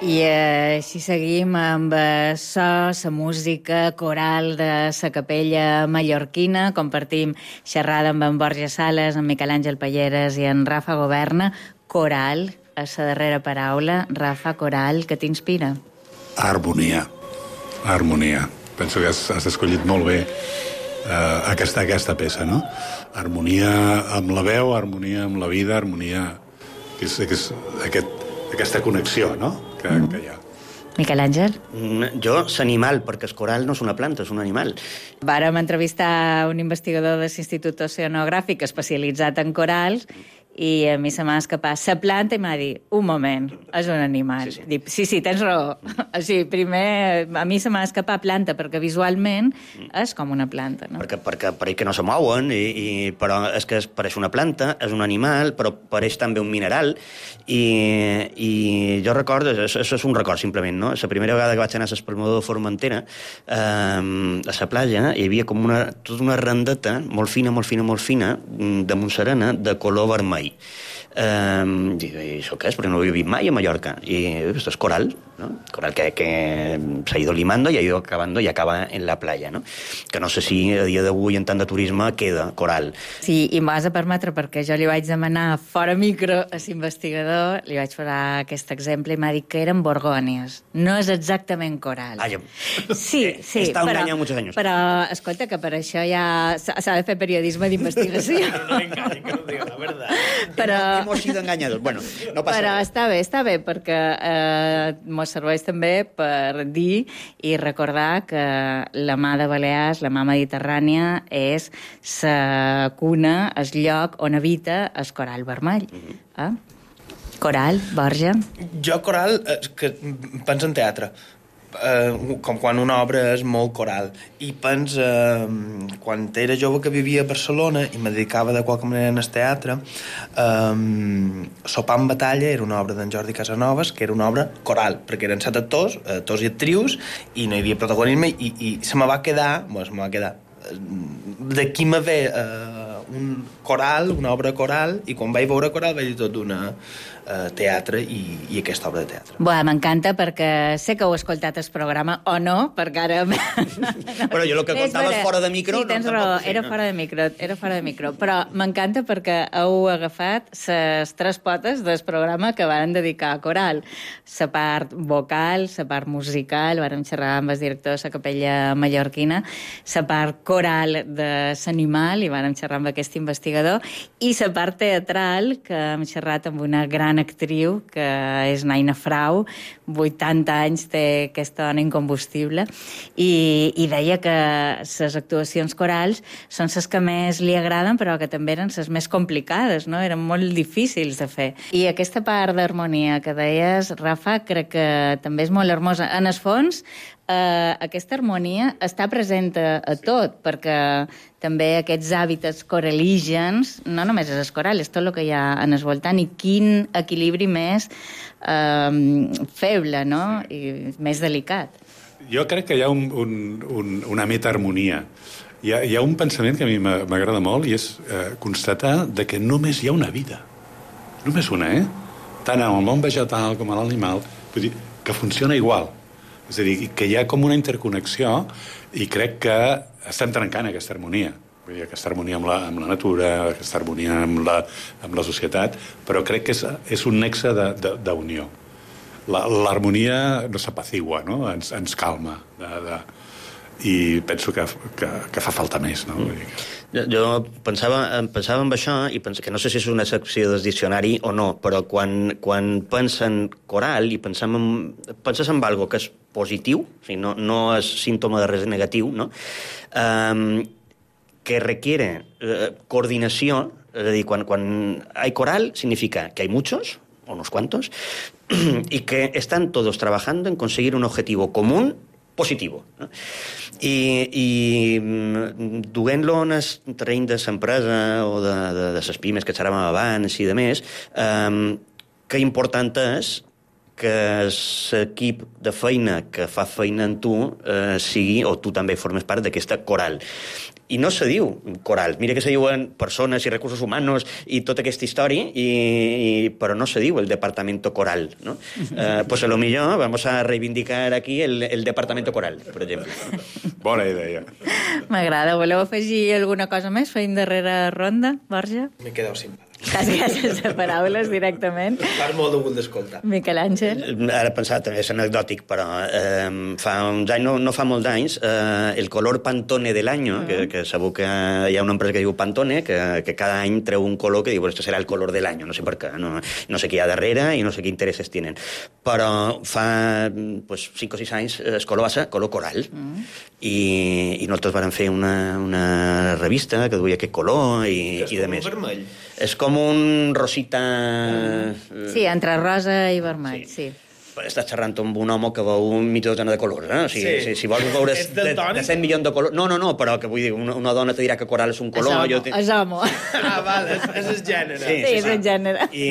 I així seguim amb so, la música coral de la capella mallorquina. Compartim xerrada amb en Borja Sales, en Miquel Àngel Palleres i en Rafa Governa. Coral, a la darrera paraula. Rafa, coral, què t'inspira? Harmonia. Harmonia. Penso que has, has escollit molt bé eh, aquesta, aquesta peça, no? Harmonia amb la veu, harmonia amb la vida, harmonia... Que és, que és aquest, aquesta connexió, no?, que, mm. que hi ha. Miquel Àngel? Jo, l'animal, perquè el coral no és una planta, és un animal. Vàrem entrevistar un investigador de l'Institut Oceanogràfic especialitzat en corals i a mi se m'ha escapat la planta i m'ha dit, un moment, és un animal. Sí, sí, Dic, sí, sí tens raó. O sigui, primer, a mi se m'ha escapat planta, perquè visualment és com una planta, no? Perquè, perquè pareix que no se mouen, i, i, però és que es pareix una planta, és un animal, però pareix també un mineral, i, i jo recordo, això és un record simplement, no? La primera vegada que vaig anar a l'Espalmador de Formentera, eh, a la platja, hi havia com una, tota una randeta, molt fina, molt fina, molt fina, de Montserena, de color vermell. Um, i, i això què és? Perquè no ho he vist mai a Mallorca. I esto es coral, ¿no? Coral que, que se ha ido limando y ha ido acabando y acaba en la playa, ¿no? Que no sé si a dia d'avui en tant de turisme queda coral. Sí, i m'has de permetre, perquè jo li vaig demanar fora micro a l'investigador, li vaig posar aquest exemple i m'ha dit que eren borgònies. No és exactament coral. Ah, ja. Sí, sí. Està però, enganyant molts anys. Però, escolta, que per això ja s'ha de fer periodisme d'investigació. No l'enganyi, que no diga la verdad. Però... Hemos sido engañados. Bueno, no passa Però res. està bé, està bé, perquè eh, mos serveix també per dir i recordar que la mà de Balears, la mà mediterrània, és la cuna, el lloc on habita el coral vermell. Mm-hmm. eh? Coral, Borja? Jo, coral, eh, que penso en teatre. Eh, com quan una obra és molt coral, i pens eh, quan era jove que vivia a Barcelona i me dedicava de qualque manera en el teatre, eh, Sopar en batalla era una obra d'en Jordi Casanovas, que era una obra coral, perquè eren set actors, actors i actrius, i no hi havia protagonisme, i, i se me va quedar, bueno, se me va quedar d'aquí me ve eh, un coral, una obra coral, i quan vaig veure coral vaig dir tot d'una eh, teatre i, i aquesta obra de teatre. Bé, m'encanta perquè sé que heu escoltat el programa o no, perquè ara... Però jo el que contava és fora de micro... Sí, tens no, raó, sí, era no. fora de micro, era fora de micro, però m'encanta perquè heu agafat les tres potes del programa que van dedicar a coral. La part vocal, la part musical, vàrem xerrar amb el director de la capella mallorquina, la part coral de l'animal, i vàrem xerrar amb aquest investigador, i la part teatral, que hem xerrat amb una gran actriu, que és Naina Frau, vuitanta anys té aquesta dona incombustible, i, i deia que les actuacions corals són les que més li agraden, però que també eren les més complicades, no? Eren molt difícils de fer. I aquesta part d'harmonia que deies, Rafa, crec que també és molt hermosa. En el fons, eh, aquesta harmonia està present a, a tot, perquè també aquests hàbitats coralígens, no només és el coral, és tot el que hi ha en el voltant, i quin equilibri més eh, feble, no? I més delicat. Jo crec que hi ha un, un, un, una metaharmonia. Hi ha, hi ha un pensament que a mi m'agrada molt, i és eh, constatar de que només hi ha una vida. Només una, eh? Tant en el món vegetal com en l'animal, vull dir, que funciona igual. És a dir, que hi ha com una interconnexió, i crec que estem trencant aquesta harmonia. Vull dir, aquesta harmonia amb la, amb la natura, aquesta harmonia amb la, amb la societat, però crec que és, és un nexe d'unió. L'harmonia no s'apacigua, no? Ens, ens calma. De, de, I penso que, que, que fa falta més, no? Vull dir que... Jo, jo pensava, pensava en això, i penso que no sé si és una secció del diccionari o no, però quan, quan pensen coral i pensem en, penses en algo que és positiu, o sigui, no, no és símptoma de res negatiu, no? Um, que requiere uh, coordinació, és a dir, quan, quan hay coral significa que hay muchos, o unos cuantos, y que están todos trabajando en conseguir un objetivo común positivo. No? I, i duent-lo en el terreny de l'empresa o de, de, de les pimes que xerràvem abans i de més, eh, que important és que l'equip de feina que fa feina en tu eh, sigui, o tu també formes part d'aquesta coral. I no se diu coral. Mira que se diuen persones i recursos humanos i tota aquesta història, i, i, però no se diu el departamento coral, ¿no? Eh, pues a lo millor vamos a reivindicar aquí el, el departamento coral, per exemple. Bona idea. M'agrada. Voleu afegir alguna cosa més? Feim darrere ronda, Borja? M'he quedat sin palabras. Quasi sense paraules, directament. Fas molt de gust d'escoltar. Miquel Àngel? Ara pensar, també és anecdòtic, però eh, fa uns anys, no, no fa molts anys, eh, el color Pantone del año, mm. que, que sabeu que hi ha una empresa que diu Pantone, que, que cada any treu un color que diu, bueno, esto serà el color del año, no sé per què, no, no sé què hi ha darrere i no sé qué intereses tienen. Però fa pues, cinc o sis anys el color va ser color coral. Mm. I, i nosaltres vam fer una, una revista que duia aquest color i, i de més. Vermell. És com un rosita... Sí, entre rosa i vermell, sí. sí. Estàs xerrant amb un home que veu un mig dotena de colors, eh? O sigui, sí. si, si vols veure de, de cent milions de colors... No, no, no, però que vull dir, una, una dona te dirà que coral és un color... És homo, te... és homo. Ah, val, és, és el gènere. Sí, sí, sí és el gènere. I,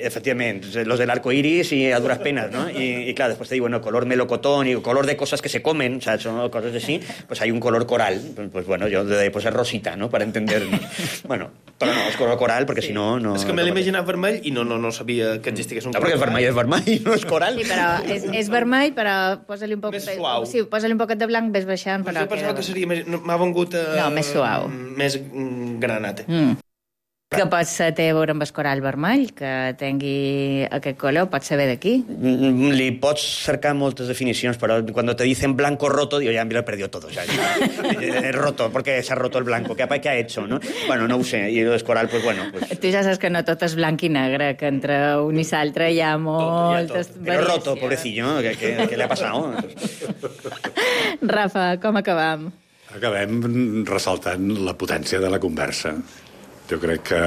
efectivament, los del arco iris i a duras penas, ¿no? Y, y claro, después te digo, bueno, color melocotón y color de cosas que se comen, ¿sabes? Son cosas así, pues hay un color coral. Pues, pues bueno, yo de pues es rosita, ¿no? Para entendernos. Bueno, però no, és color coral, perquè sí. si no... no és que me l'he imaginat vermell i no, no, no sabia que existís un no, color. No, perquè vermell és vermell i no és coral. Sí, però és, és vermell, però posa-li un poc... Més suau. Sí, posa-li un poquet de blanc, ves baixant. Però jo pensava que seria més... M'ha vengut... Eh, no, més suau. Més granate. Mm. Que pot ser té a veure amb el coral vermell, que tingui aquest color, pot saber d'aquí. Li pots cercar moltes definicions, però quan te dicen blanco roto, digo, ya me lo he perdido todo. Ya, es roto, porque se ha roto el blanco. ¿Qué, ¿Qué ha hecho? ¿No? Bueno, no ho sé. I el coral, pues bueno... Pues... Tu ja saps que no tot és blanc i negre, que entre un i l'altre hi ha moltes tot, ja tot. Però roto, pobrecillo, ¿qué, qué, qué le ha pasado? Rafa, com acabam? Acabem ressaltant la potència de la conversa. Jo crec que,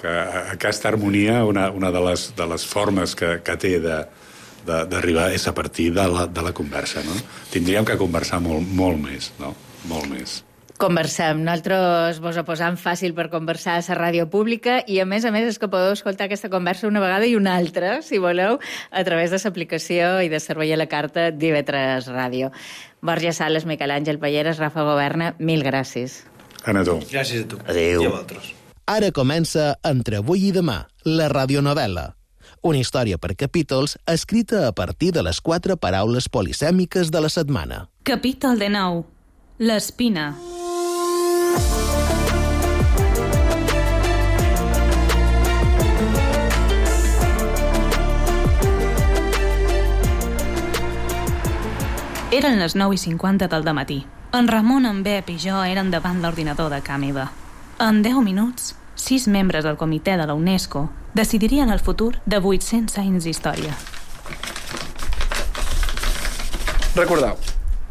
que aquesta harmonia, una, una de, les, de les formes que, que té d'arribar és a partir de la, de la conversa, no? Tindríem que conversar molt, molt més, no? Molt més. Conversem. Nosaltres vos ho posam fàcil per conversar a la ràdio pública i, a més a més, és que podeu escoltar aquesta conversa una vegada i una altra, si voleu, a través de l'aplicació i de servei a la carta d'I V tres Ràdio. Borja Sales, Miquel Àngel Palleres, Rafa Governa, mil gràcies. Ana, tu. Gràcies a tu. Adéu. I a vosaltres. Ara comença Entre avui i demà, la radionovel·la. Una història per capítols escrita a partir de les quatre paraules polisèmiques de la setmana. Capítol dinou. L'espina. Eren les nou i cinquanta del dematí. En Ramon, en Bep i jo eren davant l'ordinador de Càmida. En deu minuts, sis membres del comitè de la UNESCO decidirien el futur de vuit-cents anys d'història. Recordeu,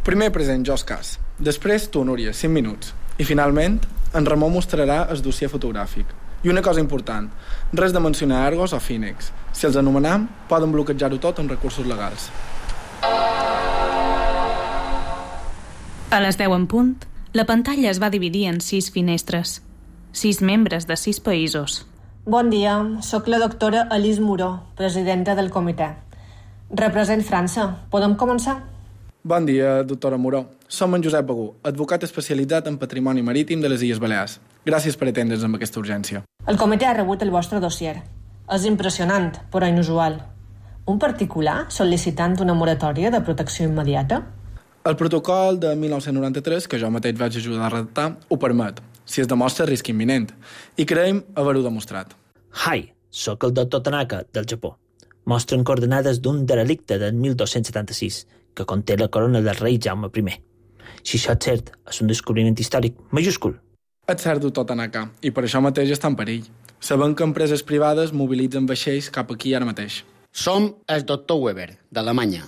primer present jo Cas, després tu, Núria, cinc minuts, i finalment en Ramon mostrarà el dossier fotogràfic. I una cosa important, res de mencionar Argos o Phoenix. Si els anomenam, poden bloquejar-ho tot amb recursos legals. A les deu en punt, la pantalla es va dividir en sis finestres. Sis membres de sis països. Bon dia, sóc la doctora Alice Muró, presidenta del comitè. Represent França. Podem començar? Bon dia, doctora Muró. Som en Josep Begú, advocat especialitzat en patrimoni marítim de les Illes Balears. Gràcies per atendre'ns amb aquesta urgència. El comitè ha rebut el vostre dossier. És impressionant, però inusual. Un particular sol·licitant una moratòria de protecció immediata? El protocol de mil nou-cents noranta-tres, que jo mateix vaig ajudar a redactar, ho permet, si es demostra risc imminent, i creiem haver-ho demostrat. Hi, sóc el doctor Tanaka, del Japó. Mostren coordenades d'un derelicte del mil dos-cents setanta-sis, que conté la corona del rei Jaume primer. Si això és cert, és un descobriment històric majúscul. És cert, doctor Tanaka, i per això mateix està en perill. Sabem que empreses privades mobilitzen vaixells cap aquí ara mateix. Som el doctor Weber, d'Alemanya.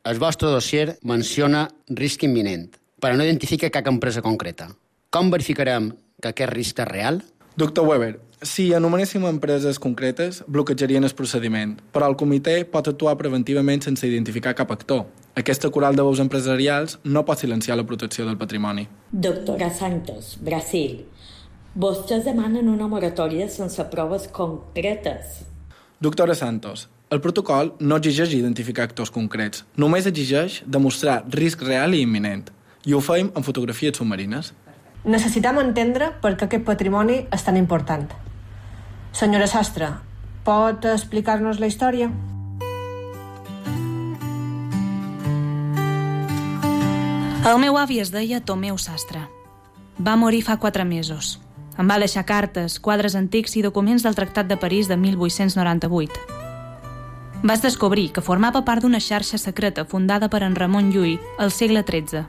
El vostre dossier menciona risc imminent, però no identifica cap empresa concreta. Com verificarem que aquest risc és real? Doctor Weber, si anomenéssim empreses concretes, bloquejarien el procediment, però el comitè pot actuar preventivament sense identificar cap actor. Aquesta coral de veus empresarials no pot silenciar la protecció del patrimoni. Doctora Santos, Brasil. Vostès demanen una moratòria sense proves concretes. Doctora Santos, el protocol no exigeix identificar actors concrets, només exigeix demostrar risc real i imminent, i ho fem en fotografies submarines. Necessitem entendre per què aquest patrimoni és tan important. Senyora Sastre, pot explicar-nos la història? El meu avi es deia Tomeu Sastre. Va morir fa quatre mesos. Em va deixar cartes, quadres antics i documents del Tractat de París de mil vuit-cents noranta-vuit. Vas descobrir que formava part d'una xarxa secreta fundada per en Ramon Llull al segle tretze.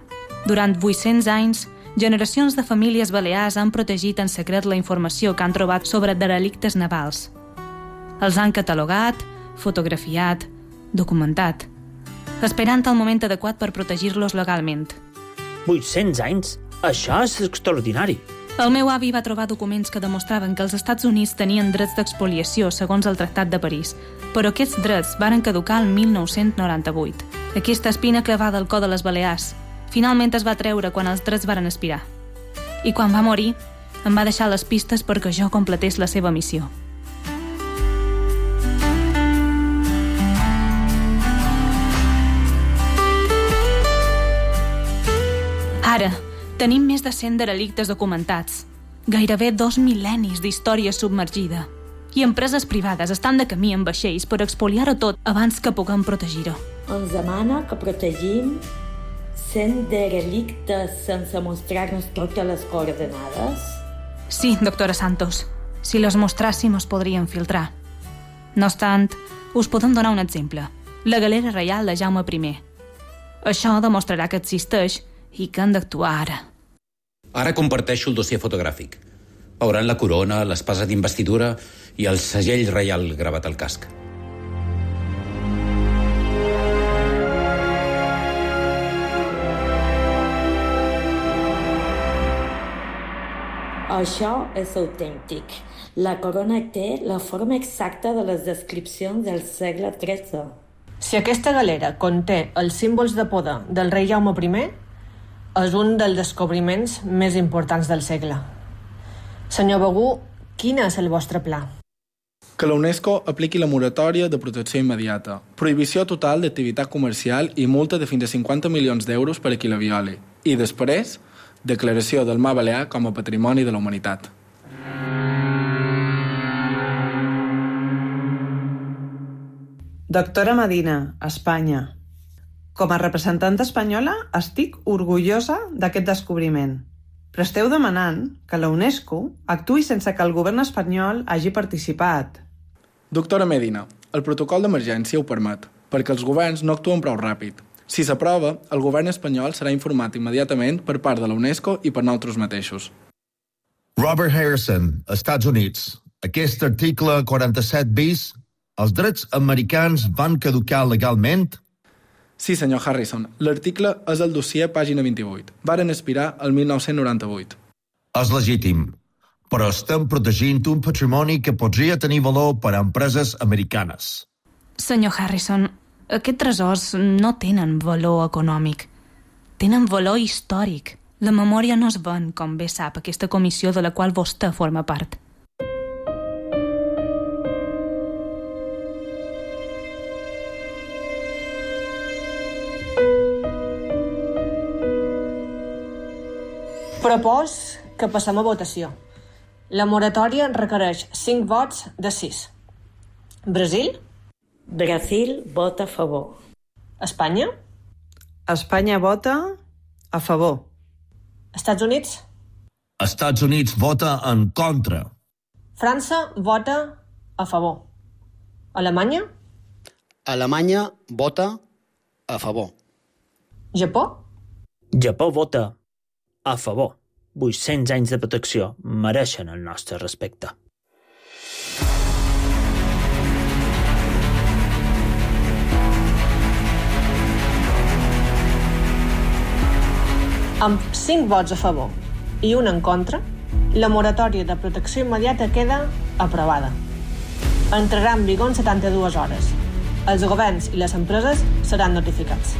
Durant vuit-cents anys, generacions de famílies balears han protegit en secret la informació que han trobat sobre derelictes navals. Els han catalogat, fotografiat, documentat, esperant el moment adequat per protegir-los legalment. vuit-cents anys? Això és extraordinari. El meu avi va trobar documents que demostraven que els Estats Units tenien drets d'expoliació segons el Tractat de París, però aquests drets varen caducar el mil nou-cents noranta-vuit. Aquesta espina clavada al cor de les Balears finalment es va treure quan els drets varen expirar. I quan va morir, em va deixar les pistes perquè jo completés la seva missió. Ara, tenim més de cent derelictes documentats, gairebé dos mil·lennis d'història submergida, i empreses privades estan de camí en vaixells per expoliar-ho tot abans que puguem protegir-ho. Ens demana que protegim cent derelictes sense mostrar-nos totes les coordenades? Sí, doctora Santos. Si les mostràssim, es podrien filtrar. No obstant, us podem donar un exemple. La galera reial de Jaume primer. Això demostrarà que existeix i que han d'actuar ara. Ara comparteixo el dossier fotogràfic. Veuran la corona, l'espasa d'investidura i el segell reial gravat al casc. Això és autèntic. La corona té la forma exacta de les descripcions del segle tretze. Si aquesta galera conté els símbols de poder del rei Jaume primer, és un dels descobriments més importants del segle. Senyor Begú, quin és el vostre pla? Que la UNESCO apliqui la moratòria de protecció immediata, prohibició total d'activitat comercial i multa de fins a cinquanta milions d'euros per a qui la violi. I després, declaració del Mar Balear com a patrimoni de la humanitat. Doctora Medina, Espanya. Com a representant espanyola, estic orgullosa d'aquest descobriment. Però esteu demanant que la UNESCO actuï sense que el govern espanyol hagi participat. Doctora Medina, el protocol d'emergència ho permet, perquè els governs no actuen prou ràpid. Si s'aprova, el govern espanyol serà informat immediatament per part de la UNESCO i per nosaltres mateixos. Robert Harrison, Estats Units. Aquest article quaranta-set bis, els drets americans van caducar legalment? Sí, senyor Harrison. L'article és el dossier pàgina vint-i-vuit. Varen expirar el mil nou-cents noranta-vuit. És legítim, però estem protegint un patrimoni que podria tenir valor per a empreses americanes. Senyor Harrison, aquests tresors no tenen valor econòmic. Tenen valor històric. La memòria no es ven, com bé sap, aquesta comissió de la qual vostè forma part. Propòs que passem a votació. La moratòria requereix cinc vots de sis. Brasil? Brasil vota a favor. Espanya? Espanya vota a favor. Estats Units? Estats Units vota en contra. França vota a favor. Alemanya? Alemanya vota a favor. Japó? Japó vota a favor. vuit-cents anys de protecció mereixen el nostre respecte. Amb cinc vots a favor i un en contra, la moratòria de protecció immediata queda aprovada. Entrarà en vigor en setanta-dues hores. Els governs i les empreses seran notificats.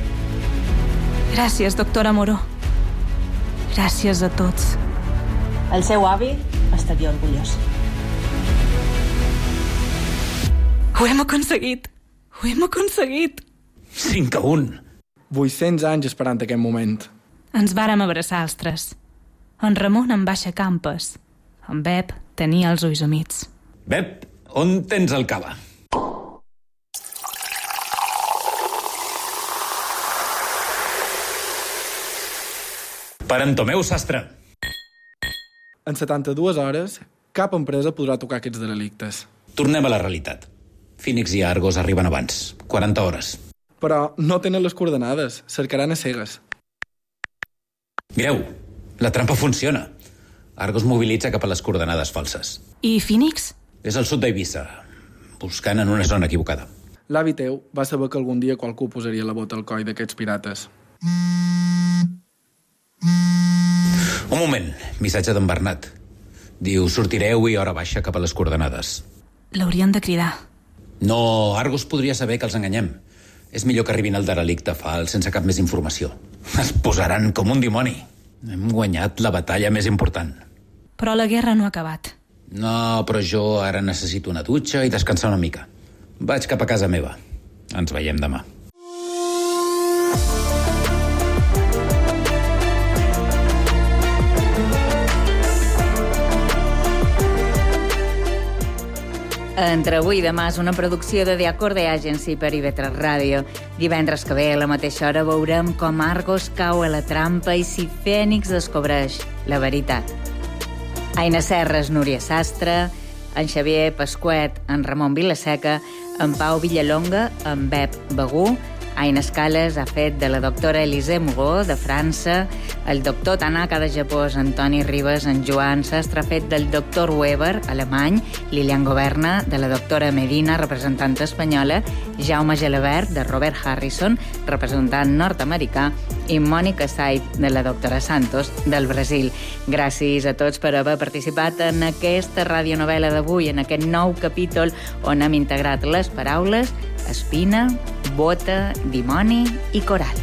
Gràcies, doctora Moró. Gràcies a tots. El seu avi estaria orgullós. Ho hem aconseguit! Ho hem aconseguit! cinc a un. vuit-cents anys esperant aquest moment. Ens vàrem abraçar els tres. En Ramon em va aixecar en pes. En Bep tenia els ulls humits. Bep, on tens el cava? Per en Tomeu Sastre. en setanta-dues hores, cap empresa podrà tocar aquests derelictes. Tornem a la realitat. Phoenix i Argos arriben abans, quaranta hores. Però no tenen les coordenades, cercaran a cegues. Mireu, la trampa funciona. Argos mobilitza cap a les coordenades falses. I Phoenix? És al sud d'Eivissa, buscant en una zona equivocada. L'avi teu va saber que algun dia qualcú posaria la bota al coll d'aquests pirates. Un moment, missatge d'en Bernat. Diu, sortireu i hora baixa cap a les coordenades. L'haurien de cridar. No, Argos podria saber que els enganyem. És millor que arribin al derelicte fals sense cap més informació. Es posaran com un dimoni. Hem guanyat la batalla més important. Però la guerra no ha acabat. No, però jo ara necessito una dutxa i descansar una mica. Vaig cap a casa meva. Ens veiem demà. Entre avui i demà és una producció de The Acorde Agency per I V tres Ràdio. Divendres que ve, a la mateixa hora, veurem com Argos cau a la trampa i si Fènix descobreix la veritat. Aina Serres, Núria Sastre, en Xavier Pasquet, en Ramon Vilaseca, en Pau Villalonga, en Bep Begú, Aina Escales ha fet de la doctora Elisée Mugó, de França, el doctor Tanaka, de Japó, Antoni Ribes, en Joan Sastre ha fet del doctor Weber, alemany, Lilian Governa, de la doctora Medina, representant espanyola, Jaume Gelabert, de Robert Harrison, representant nord-americà, i Mònica Said, de la doctora Santos, del Brasil. Gràcies a tots per haver participat en aquesta radionovel·la d'avui, en aquest nou capítol on hem integrat les paraules espina, bota, dimoni i coral.